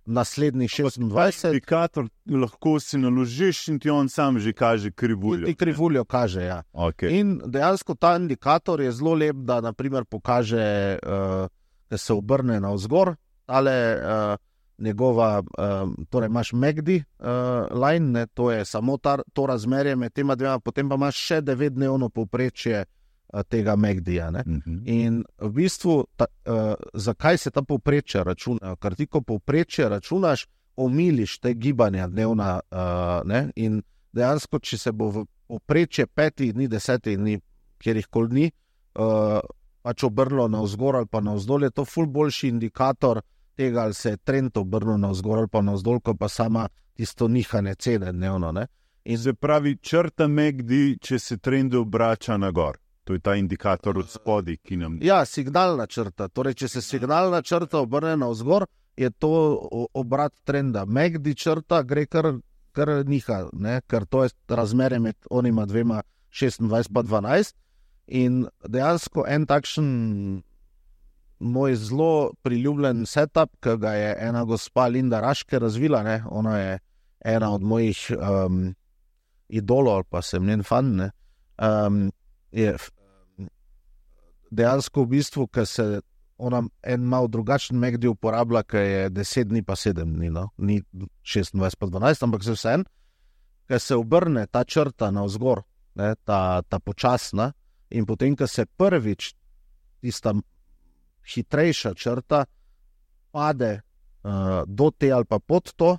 naslednjih šestindvajset. Indikator lahko si naložiš in ti on sam že kaže krivuljo. Ti krivuljo kaže, ja. Okay. In dejansko ta indikator je zelo lep, da naprimer pokaže, uh, da se obrne navzgor, tale uh, njegova, uh, torej imaš M A C D uh, line, ne? To je samo ta, to razmerje med tema dvema, potem pa imaš še devetdnevno povprečje tega M A C D-ja. Uh-huh. In v bistvu, ta, uh, zakaj se ta povprečje računa? Ker ti, ko povprečje računaš, omiliš te gibanja dnevna, uh, ne? In dejansko, če se bo v povprečje petih dni, desetih dni, kjerihkoli dni, uh, pač obrnilo navzgor ali pa navzdol, je to ful boljši indikator tega, ali se je trend obrnil navzgor ali pa navzdol, ko pa sama tisto nihanje cene dnevno. Ne? In se pravi, črta M A C D, če se trend obrača na gor. To je ta indikator od spodaj, ki nam... Ja, signalna črta. Torej, če se signalna črta obrne navzgor, je to obrat trenda. M A C D črta gre kar, kar niha, ne? Ker to je razmerje med onima dvema šestindvajset pa dvanajst. In dejansko en takšen moj zelo priljubljen setup, ki ga je ena gospa Linda Raške razvila, ne? Ona je ena od mojih um, idolov, pa sem njen fan, ne? Um, je dejansko v bistvu, ker se ona en malo drugačen M A C D uporablja, ker je deset dni pa sedem dni, no? Ni šestindvajset pa dvanajst, ampak se vse en, ker se obrne ta črta navzgor, ne? ta, ta počasna, in potem, ker se prvič tista hitrejša črta pade uh, do te ali pa pod to,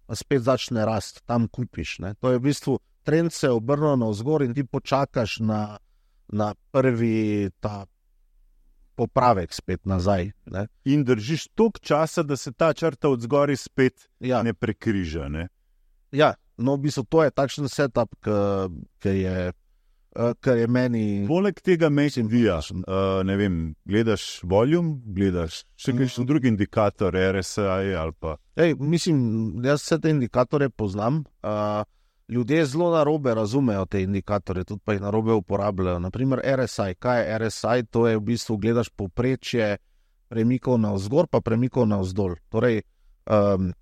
pa spet začne rast, tam kupiš. Ne? To je v bistvu, trend se obrne navzgor in ti počakaš na na prvi ta popravek spet nazaj. Ne? In držiš toliko časa, da se ta črta od zgori spet ja. ne prekriža. Ne? Ja, no v bistvu to je takšen setup, ki je, je meni... Poleg tega M A C D-ja, uh, ne vem, gledaš volume, gledaš še kakšen mm. drugi indikator, R S I ali pa... Ej, mislim, jaz vse te indikatore poznam, uh, ljudje zelo narobe razumejo te indikatorje, tudi pa jih narobe uporabljajo. Naprimer R S I. Kaj je R S I? To je v bistvu, gledaš povprečje premikov navzgor pa premikov navzdol. Torej, um,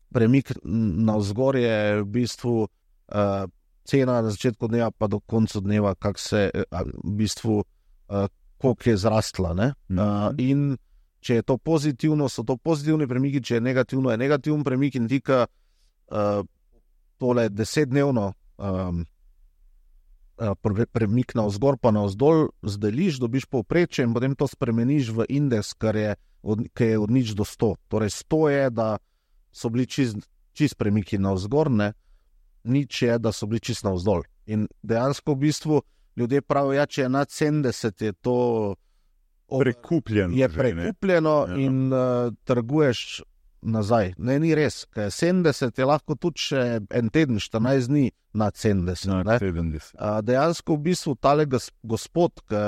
premik navzgor je v bistvu uh, cena na začetku dneva pa do konca dneva, kak se, uh, v bistvu, uh, koliko je zrastla. Ne? Uh, in če je to pozitivno, so to pozitivni premiki, če je negativno, je negativen premik in tika uh, tole desetdnevno um, premik navzgor pa navzdol zdeliš, dobiš povprečje in potem to spremeniš v indeks, kar je od, kar je od nič do sto. Torej sto je, da so bili čist, čist premiki navzgor, ne? Nič je, da so bili čist navzdol. In dejansko v bistvu ljudje pravijo, ja, če je nad sedemdeset, je to prekupljeno. Je prekupljeno že, in uh, trguješ nazaj. Ne, ni res, ker sedemdeset je lahko tudi še en teden, štirinajst dni nad sedemdeset. Nad sedemdeset. A, dejansko v bistvu tale gospod, ki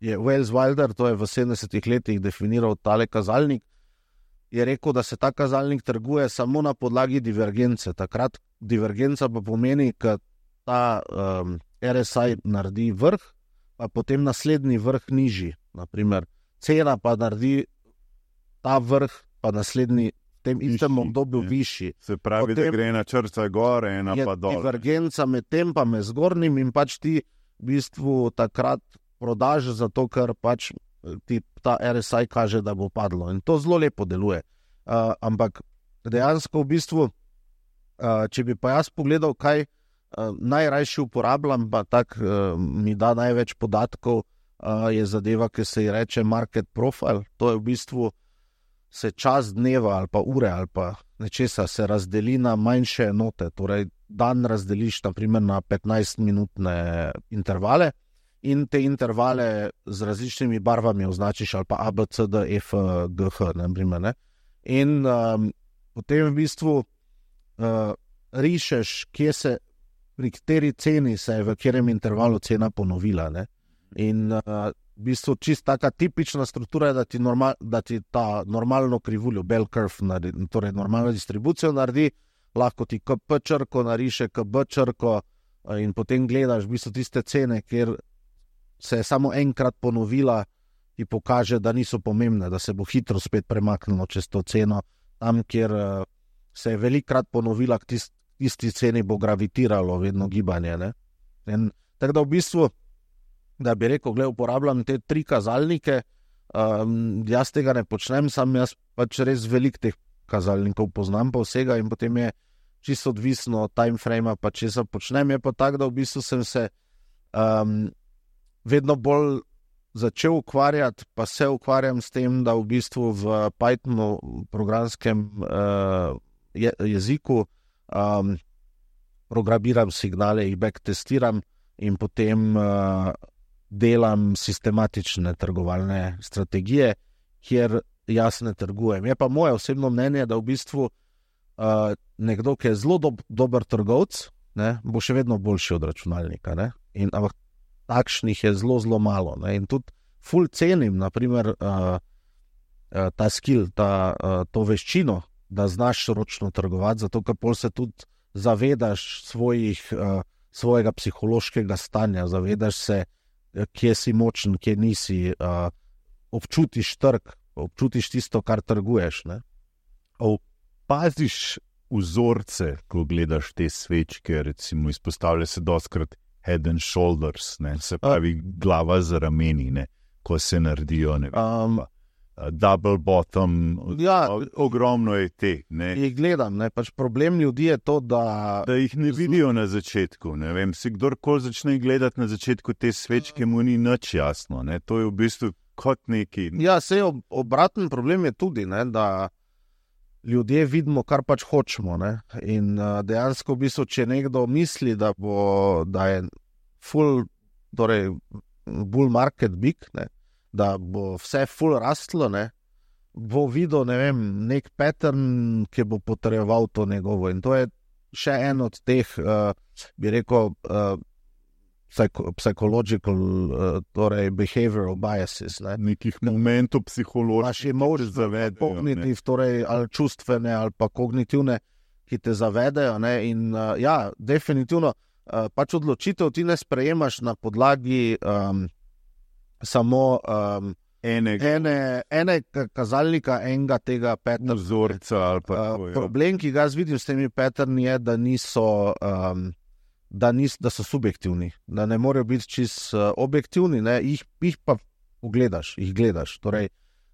je Wales Wilder, to je v sedemdesetih letih definiral tale kazalnik, je rekel, da se ta kazalnik trguje samo na podlagi divergence. Takrat divergenca pa pomeni, ker ta um, R S I naredi vrh, pa potem naslednji vrh nižji. Naprimer, cena pa naredi ta vrh, pa naslednji v tem istem obdobju višji. Se pravi, potem, da gre ena črta gor, ena pa dol. Divergenca med tem pa med zgornjim in pač ti v bistvu takrat prodaš zato, ker pač ti ta R S I kaže, da bo padlo. In to zelo lepo deluje. Uh, ampak dejansko v bistvu, uh, če bi pa jaz pogledal, kaj uh, najrajši uporabljam, pa tak uh, mi da največ podatkov, uh, je zadeva, ki se ji reče market profile. To je v bistvu se čas dneva ali pa ure ali pa nečesa se razdeli na manjše enote. Torej, dan razdeliš naprimer na petnajstminutne intervale in te intervale z različnimi barvami označiš ali pa A, B, C, D, E, F, G, H, naprimer, ne. In um, potem v bistvu uh, rišeš, kje se, pri kateri ceni se je v katerem intervalu cena ponovila. Ne? In uh, v bistvu čist taka tipična struktura je, da ti, normal, da ti ta normalno krivuljo, bell curve, naredi, torej normalno distribucijo naredi, lahko ti K P črko nariše, K B črko uh, in potem gledaš v bistvu tiste cene, kjer se je samo enkrat ponovila, ti pokaže, da niso pomembne, da se bo hitro spet premaknilo čez to ceno, tam, kjer uh, se je velikrat ponovila, k tist, tisti ceni bo gravitiralo vedno gibanje. Ne? In, tako da v bistvu, da bi rekel, gled, uporabljam te tri kazalnike, um, jaz tega ne počnem, sam jaz pač res velik teh kazalnikov poznam pa vsega in potem je čisto odvisno od time frame, pa če se počnem, je pa tako, da v bistvu sem se um, vedno bolj začel ukvarjati, pa se ukvarjam s tem, da v bistvu v Pythonu, programskem uh, je, jeziku, um, programiram signale, jih backtestiram in potem uh, delam sistematične trgovalne strategije, kjer jaz ne trgujem. Je pa moje osebno mnenje, da v bistvu uh, nekdo, ki je zelo dob, dober trgovec, ne, bo še vedno boljši od računalnika. Ne? In, ampak takšnih je zelo, zelo malo. Ne? In tudi ful cenim, naprimer, uh, uh, ta skill, ta, uh, to veščino, da znaš ročno trgovati, zato ker pol se tudi zavedaš svojih, uh, svojega psihološkega stanja, zavedaš se, kje si močen, kje nisi, uh, občutiš trg, občutiš tisto, kar trguješ. Ne? Opaziš vzorce, ko gledaš te svečke, recimo izpostavlja se dostkrat head and shoulders, ne? Se pravi glava z rameni, ne? Ko se naredijo, ne vem, um, pa, double bottom, ja, ogromno je te. Ne? Jih gledam, ne? Pač problem ljudi je to, da... Da jih ne vidijo na začetku, ne vem, si kdorkoli začne gledati na začetku te svečke, mu ni nič jasno, ne? To je v bistvu kot neki... Ja, sej ob, obraten problem je tudi, ne? Da ljudje vidimo, kar pač hočemo, ne? In uh, dejansko v bistvu, če nekdo misli, da bo, da je full, torej bull market big, ne? Da bo vse full rastlo, ne? Bo videl, ne vem, nek pattern, ki bo potreboval to njegovo. In to je še en od teh, uh, bi rekel, uh, psycho, psychological, uh, torej behavioral biases. Ne? Nekih momentov psiholoških. Naši emocije, kognitiv, torej ali čustvene ali pa kognitivne, ki te zavedajo. Ne? In uh, ja, definitivno, uh, pač odločitev ti ne sprejemaš na podlagi um, samo um, enega. ene, ene kazalnika, enega tega patterna. Vzorca ali pa uh, problem, ki ga jaz vidim s temi patterni, je, da niso... Um, Da, nis, da so subjektivni, da ne morejo biti čist uh, objektivni, ne? Jih, jih pa pogledaš, jih gledaš. Torej,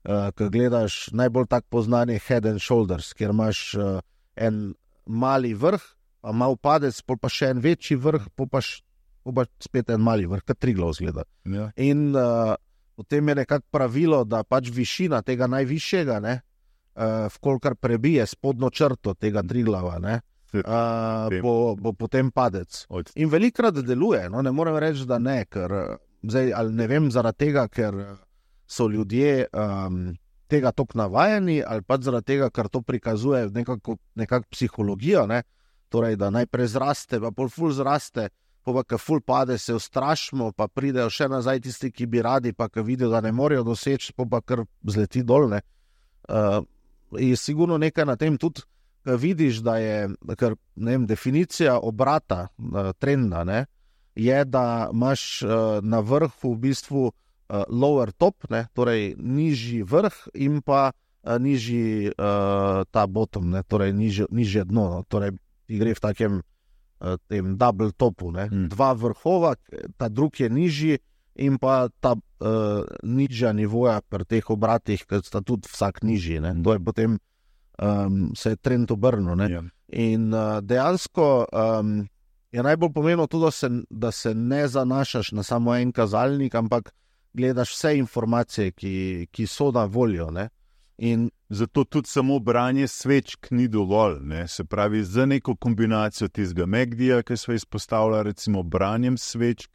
uh, ko gledaš najbolj tak poznanje head and shoulders, kjer imaš uh, en mali vrh, pa mal padec, pol pa še en večji vrh, pol pa, š, pol pa spet en mali vrh, kot Triglav zgleda. Ja. In uh, potem je nekako pravilo, da pač višina tega najvišjega, ne, uh, vkolikor prebije spodnjo črto tega Triglava, ne, Uh, bo, bo potem padec. In velikrat deluje, no, ne morem reči, da ne, ker zdaj, ali ne vem, zaradi tega, ker so ljudje um, tega tok navajeni, ali pa zaradi tega, ker to prikazuje nekako, nekako psihologijo, ne? Torej, da najprej zraste, pa pol ful zraste, pa pa, ko ful pade, se ustrašimo, pa pridejo še nazaj tisti, ki bi radi, pa ko vidijo, da ne morejo doseči, pa pa kar zleti dol, ne. Uh, je sigurno nekaj na tem tudi, vidiš, da je, ker, ne vem, definicija obrata, uh, trenda, ne, je, da imaš uh, na vrhu v bistvu uh, lower top, ne, torej nižji vrh in pa uh, nižji uh, ta bottom, ne, torej nižje, nižje dno, no, torej ti gre v takem uh, tem double topu, ne, hmm. Dva vrhova, ta drug je nižji in pa ta uh, nižja nivoja pri teh obratih, ker sta tudi vsak nižji, ne, to je potem Um, se je trend obrnil. Yeah. In uh, dejansko um, je najbolj pomembno tudi, da se, da se ne zanašaš na samo en kazalnik, ampak gledaš vse informacije, ki, ki so na voljo. Ne? In zato tudi samo branje svečk ni dovolj. Ne? Se pravi, za neko kombinacijo tistega M A C D-ja, ki smo izpostavili, recimo branjem svečk.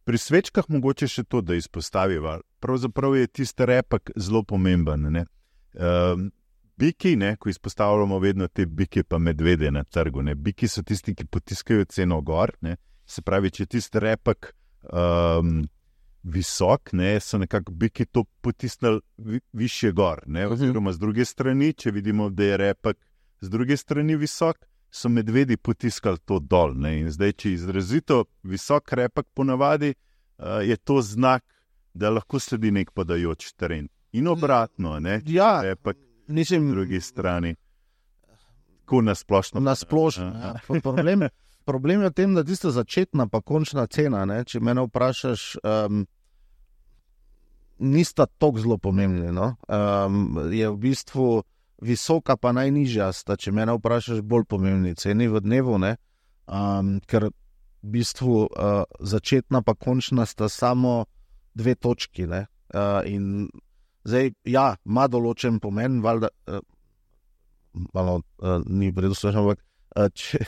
Pri svečkah mogoče še to, da izpostaviva. Pravzaprav je tisti repak zelo pomemben. Ne? Um, biki, ne, ko izpostavljamo vedno te biki pa medvede na trgu. Ne. Biki so tisti, ki potiskajo ceno gor. Ne. Se pravi, če tisti repek um, visok, ne, so nekako biki to potisnili vi, više gor. Ne. Oziroma z druge strani, če vidimo, da je repek z druge strani visok, so medvedi potiskali to dol. Ne. In zdaj, če izrazito visok repek ponavadi, uh, je to znak, da lahko sledi nek padajoč teren. In obratno, ne, ja, repek mislim, na drugi strani. Tako nasplošno. Nasplošno, ja. Problem, problem je v tem, da tista začetna pa končna cena, ne, če mene vprašaš, um, nista toliko zelo pomembni. No? Um, je v bistvu visoka pa najnižja sta, če mene vprašaš, bolj pomembni ceni v dnevu, ne? Um, ker v bistvu uh, začetna pa končna sta samo dve točki. Ne? Uh, in zdaj, ja, ima določen pomen, valjda, uh, malo uh, ni predvsem, ampak uh, če,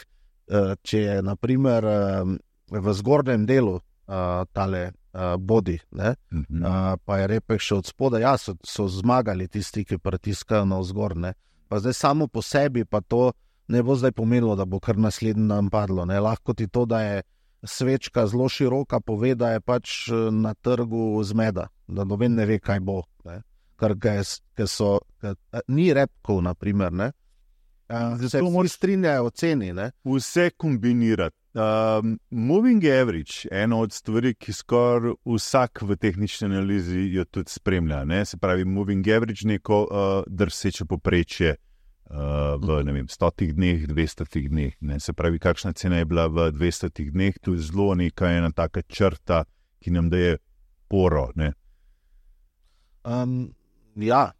uh, če je na primer uh, v zgornjem delu uh, tale uh, body, ne, Mhm. uh, pa je repek še od spoda, ja, so, so zmagali tisti, ki pritiskajo navzgor, ne. Pa zdaj samo po sebi pa to ne bo zdaj pomenilo, da bo kar naslednji dan padlo, ne. Lahko ti to, da je svečka zelo široka, pove, da je pač uh, na trgu zmeda, da noben ne ve, kaj bo, ne. Ker, ker so, ker, ni repkov, na primer, ne. Uh, se vsi strinjajo o ceni, ne. Vse kombinirati. Um, moving average, ena od stvari, ki skoraj vsak v tehnični analizi jo tudi spremlja. Ne? Se pravi, moving average neko uh, drseče poprečje uh, v ne vem, stotih dneh, dvestotih dneh. Ne? Se pravi, kakšna cena je bila v dvestotih dneh, to je zelo neka ena taka črta, ki nam daje poro. Ne? Um, ja,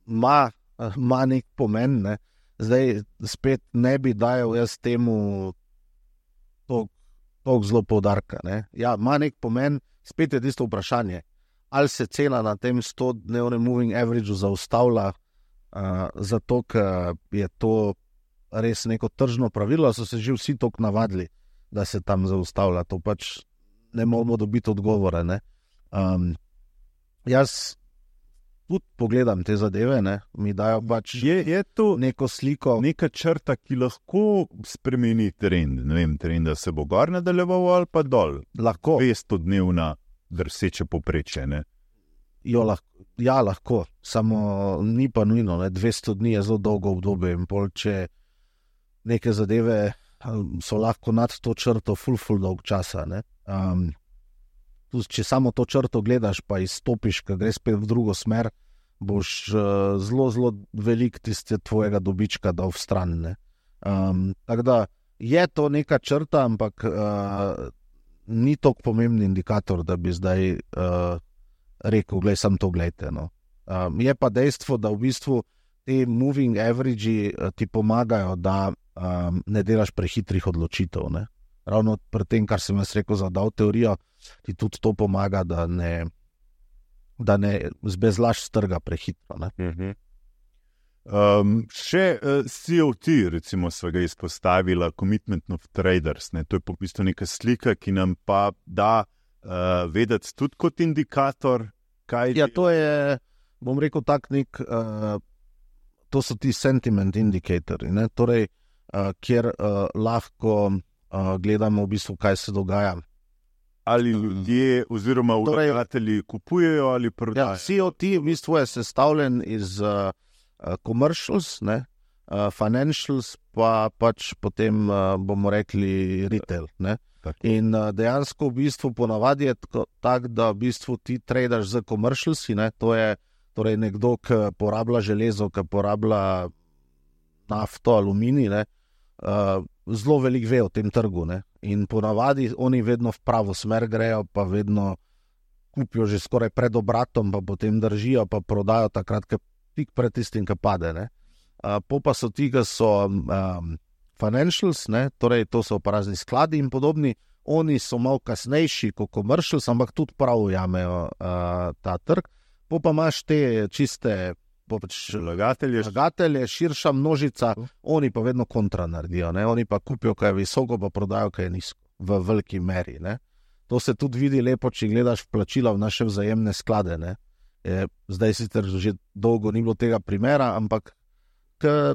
ima, ima nek pomen, ne. Zdaj spet ne bi dajal jaz temu toliko zelo poudarka. Ne. Ja, ima nek pomen, spet je tisto vprašanje, ali se cena na tem sto-dnevnem moving averageu zaustavlja, uh, zato ker je to res neko tržno pravilo, so se že vsi toliko navadili, da se tam zaustavlja. To pač ne moramo dobiti odgovore. Ne. Um, jaz tudi pogledam te zadeve, ne, mi dajo pač Je, je to neko sliko. neka črta, ki lahko spremeni trend. Ne vem, trend, da se bo gor nadaljeval ali pa dol. Lahko, dvesto dnevna drseče poprečje. Ne? jo lahko, ja, lahko, samo ni pa nujno, ne, dvesto dni je zelo dolgo obdobje in pol, če neke zadeve um, so lahko nad to črto ful, ful dolg časa, ne. Um, tudi, če samo to črto gledaš, pa izstopiš, ko greš spet v drugo smer, boš uh, zelo, zelo velik tiste tvojega dobička dal v stran. Ne. Um, tako da je to neka črta, ampak uh, ni toliko pomemben indikator, da bi zdaj uh, rekel, glej, sam to gledajte. No. Um, je pa dejstvo, da v bistvu te moving average uh, ti pomagajo, da um, ne delaš prehitrih odločitev. Ne. Ravno pri tem, kar sem jaz rekel za DAO teorijo, ti tudi to pomaga, da ne, da ne zbezlaš z trga prehitro. Ne? Uh-huh. Um, še uh, C O T, recimo, sva ga izpostavila, Commitment of Traders. Ne? To je po bistvu neka slika, ki nam pa da uh, vedeti tudi kot indikator, kaj Ja, to je, bom rekel, tak nek, uh, to so ti sentiment indicatori, ne? Torej, uh, kjer uh, lahko uh, gledamo v bistvu, kaj se dogaja. ali ljudje oziroma Torej- vlagatelji kupujejo ali Ja, prodajajo. C O T v bistvu je sestavljen iz uh, uh, commercials, ne? Uh, financials, pa pač potem uh, bomo rekli retail. Ne? Tako. In uh, dejansko v bistvu ponavadi je tako, tak, da v bistvu ti tradaš z commercialsi, ne? To je torej nekdo, ki porablja železo, ki porablja nafto, aluminij, ne? Uh, zelo veliko ve o tem trgu, ne? In ponavadi oni vedno v pravo smer grejo, pa vedno kupijo že skoraj pred obratom, pa potem držijo, pa prodajo takrat, ko tik pred tistim, ki pade. Ne? Uh, po pa so ti, ki so um, financials, ne? Torej to so pa razni skladi in podobni, oni so malo kasnejši kot commercials, ampak tudi prav jamejo uh, ta trg. Po pa imaš te čiste pač Vlagatelje, vlagatelje, širša množica, oni pa vedno kontra naredijo, ne? Oni pa kupijo, kaj je visoko, pa prodajo, kaj je nizko, v veliki meri. Ne? To se tudi vidi lepo, če gledaš plačila v naše vzajemne sklade. Ne? Je, zdaj sicer že dolgo ni bilo tega primera, ampak k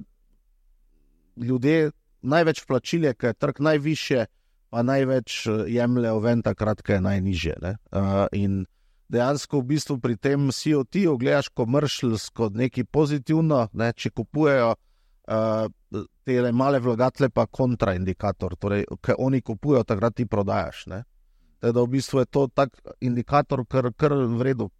ljudje največ plačil je, ker je trg najvišje, pa največ jemljejo ven takrat, ker je najnižje. Uh, in dejansko v bistvu pri tem C O T-u gledaš commercials kot nekaj pozitivno, ne? Če kupujejo uh, te male vlagatelje pa kontraindikator, torej, ker oni kupujejo, takrat ti prodajaš. Ne? Teda v bistvu je to tak indikator, kar, kar v redu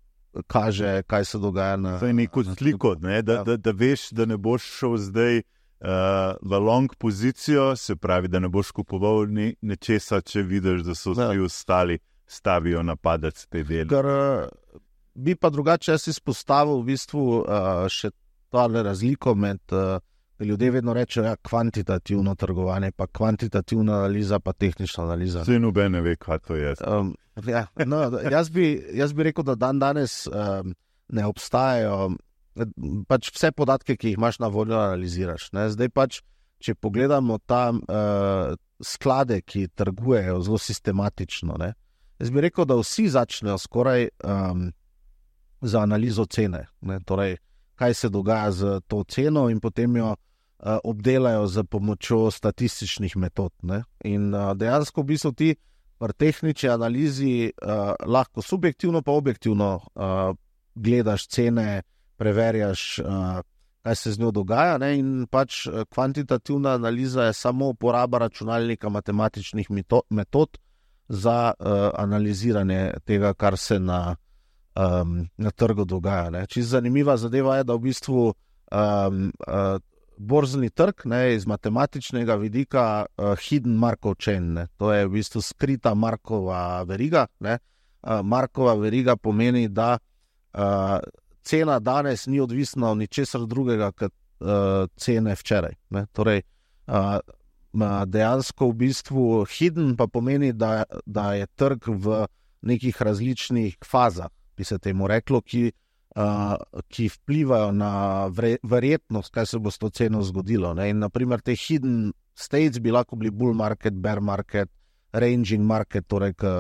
kaže, kaj se dogaja na... To je neko sliko, ne? da, ja. da, da veš, da ne boš šel zdaj uh, v long pozicijo, se pravi, da ne boš kupoval ni, nečesa, če vidiš, da so vsi ja. ostali stavijo napadec te dele. Ker uh, bi pa drugače jaz izpostavil v bistvu uh, še tale razliko med... Uh, Ljudje vedno rečejo, ja, kvantitativno trgovanje, pa kvantitativna analiza, pa tehnična analiza. Vse noben ne ve, kaj to je. Um, ja, no, jaz, bi, jaz bi rekel, da dan danes um, ne obstajajo, pač vse podatke, ki jih imaš na voljo, analiziraš. Ne? Zdaj pač, če pogledamo tam uh, sklade, ki trgujejo zelo sistematično, ne? Jaz bi rekel, da vsi začnejo skoraj um, za analizo cene. Ne? Torej, kaj se dogaja z to ceno in potem jo uh, obdelajo z pomočjo statističnih metod. Ne? In uh, dejansko v bistvu ti pri tehnični analizi uh, lahko subjektivno pa objektivno uh, gledaš cene, preverjaš, uh, kaj se z njo dogaja, ne? In pač kvantitativna analiza je samo uporaba računalnika matematičnih metod za uh, analiziranje tega, kar se na Um, na trgu dogaja. Čisto zanimiva zadeva je, da v bistvu um, uh, borzni trg, ne, iz matematičnega vidika uh, hidden Markov chain, ne. To je v bistvu skrita Markova veriga. Ne. Uh, Markova veriga pomeni, da uh, cena danes ni odvisna od ničesar drugega kot uh, cene včeraj. Ne. Torej, uh, dejansko v bistvu hidden pa pomeni, da, da je trg v nekih različnih fazah, bi se temu reklo, ki, uh, ki vplivajo na vre, verjetnost, kaj se bo s to ceno zgodilo. Ne? In naprimer te hidden states bi lahko bili bull market, bear market, ranging market, torej ki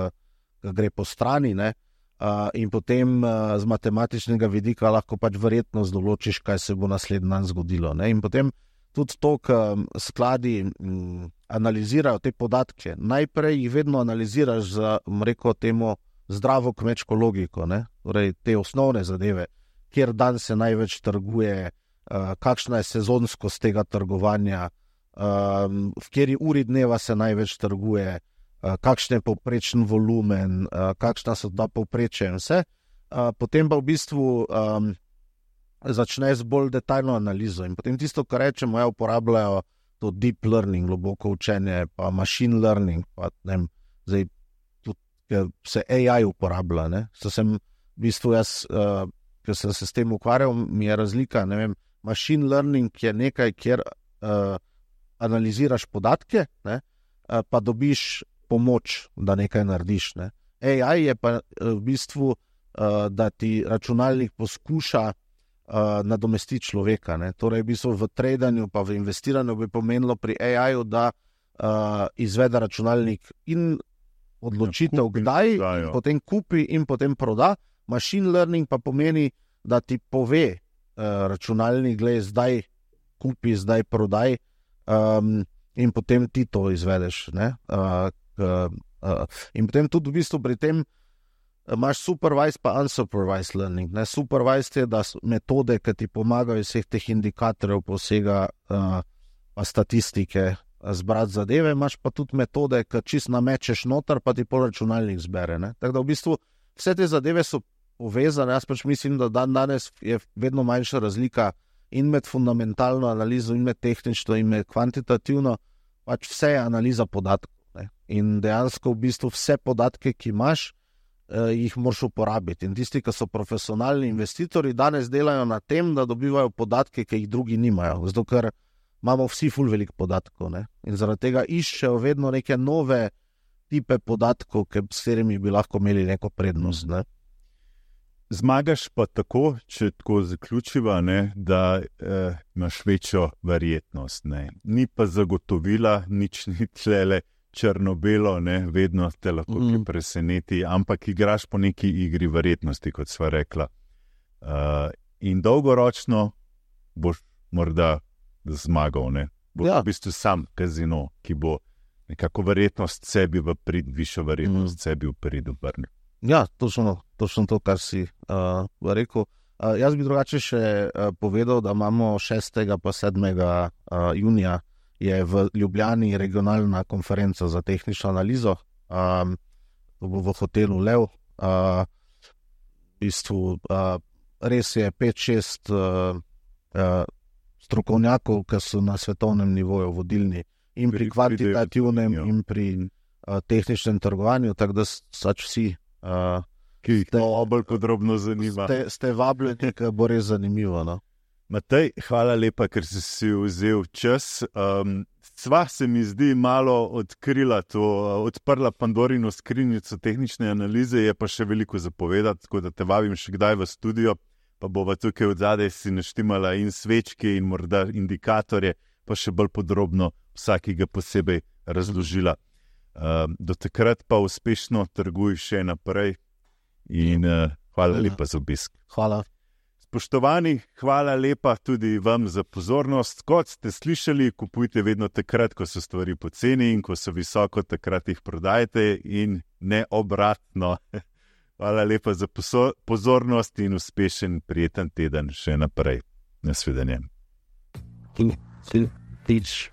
gre po strani, ne? Uh, in potem uh, z matematičnega vidika lahko pač verjetnost določiš, kaj se bo naslednji dan zgodilo. Ne? In potem tudi to, k skladi m, analizirajo te podatke. Najprej jih vedno analiziraš za, rekel temu, zdravo kmečko logiko, ne? Torej te osnovne zadeve, kjer dan se največ trguje, uh, kakšna je sezonskost tega trgovanja, um, v kateri uri dneva se največ trguje, uh, kakšen je povprečen volumen, uh, kakšna so ta povprečja in vse. Uh, potem pa v bistvu um, začne z bolj detaljno analizo in potem tisto, kar rečemo, ja, uporabljajo to deep learning, globoko učenje, pa machine learning, pa ne vem, zdaj ker se A I uporablja. Ne? So sem, v bistvu jaz, uh, ker sem se s tem ukvarjal, mi je razlika, ne vem, machine learning je nekaj, kjer uh, analiziraš podatke, ne? Uh, pa dobiš pomoč, da nekaj narediš. Ne? A I je pa uh, v bistvu, uh, da ti računalnik poskuša uh, nadomestiti človeka. Ne? Torej, v bistvu v tradanju pa v investiranju bi pomenilo pri A I-ju, da uh, izvede računalnik in odločitev, ja, kdaj, in potem kupi in potem proda. Machine learning pa pomeni, da ti pove uh, računalnik, glej, zdaj kupi, zdaj prodaj, um, in potem ti to izvedeš. Ne? Uh, uh, uh, in potem tudi v bistvu pri tem imaš supervised pa unsupervised learning. Ne? Supervised je, da metode, ki ti pomagajo iz vseh teh indikatorjev, posega uh, pa statistike, zbrati zadeve, imaš pa tudi metode, ki čist namečeš noter, pa ti pol računalnik zbere. Ne? Tako da v bistvu vse te zadeve so povezane. Jaz pač mislim, da dan danes je vedno manjša razlika in med fundamentalno analizo, in med tehnično, in med kvantitativno. Pač vse je analiza podatkov. Ne? In dejansko v bistvu vse podatke, ki imaš, eh, jih moraš uporabiti. In tisti, ki so profesionalni investitorji, danes delajo na tem, da dobivajo podatke, ki jih drugi nimajo. Zato, ker imamo vsi ful veliko podatkov, ne? In zaradi tega iščejo vedno neke nove tipe podatkov, s katerimi bi lahko imeli neko prednost. Ne? Zmagaš pa tako, če tako zaključiva, ne, da eh, imaš večjo verjetnost. Ne? Ni pa zagotovila, nič ni tlele črno-belo, ne? Vedno te lahko mm. preseneti, ampak igraš po neki igri verjetnosti, kot sva rekla. Uh, in dolgoročno boš morda zmagal, ne? Boš ja. v bistvu sam kazino, ki bo nekako verjetnost sebi v prid, višjo verjetnost mm. sebi v prid obrnil. Ja, točno, točno to, kar si uh, rekel. Uh, jaz bi drugače še uh, povedal, da imamo šestega pa sedmega Uh, junija je v Ljubljani regionalna konferenca za tehnično analizo, um, v, v hotelu Lev. Uh, v bistvu uh, res je pet šest uh, uh, strokovnjakov, ki so na svetovnem nivoju vodilni in pri kvantitativnem in pri uh, tehničnem trgovanju, tako da sač vsi, uh, ki jih to bolj podrobno zanima. Ste, ste vabljeni, ker bo res zanimivo. No? Matej, hvala lepa, ker si si vzel čas. Um, sva se mi zdi malo odkrila to, odprla Pandorino skrinjico tehnične analize, je pa še veliko zapovedati, tako da te vabim še kdaj v studio, pa bova tukaj od zadaj si naštimala in svečke in morda indikatorje, pa še bolj podrobno vsakega posebej razložila. Um, do takrat pa uspešno trguj še naprej in uh, hvala lepa za obisk. Hvala. Spoštovani, hvala lepa tudi vam za pozornost. Kot ste slišali, kupujte vedno takrat, ko so stvari poceni in ko so visoko, takrat jih prodajte in ne obratno. Hvala lepa za pozornost in uspešen, prijeten teden še naprej. Nasvidenje. Teach.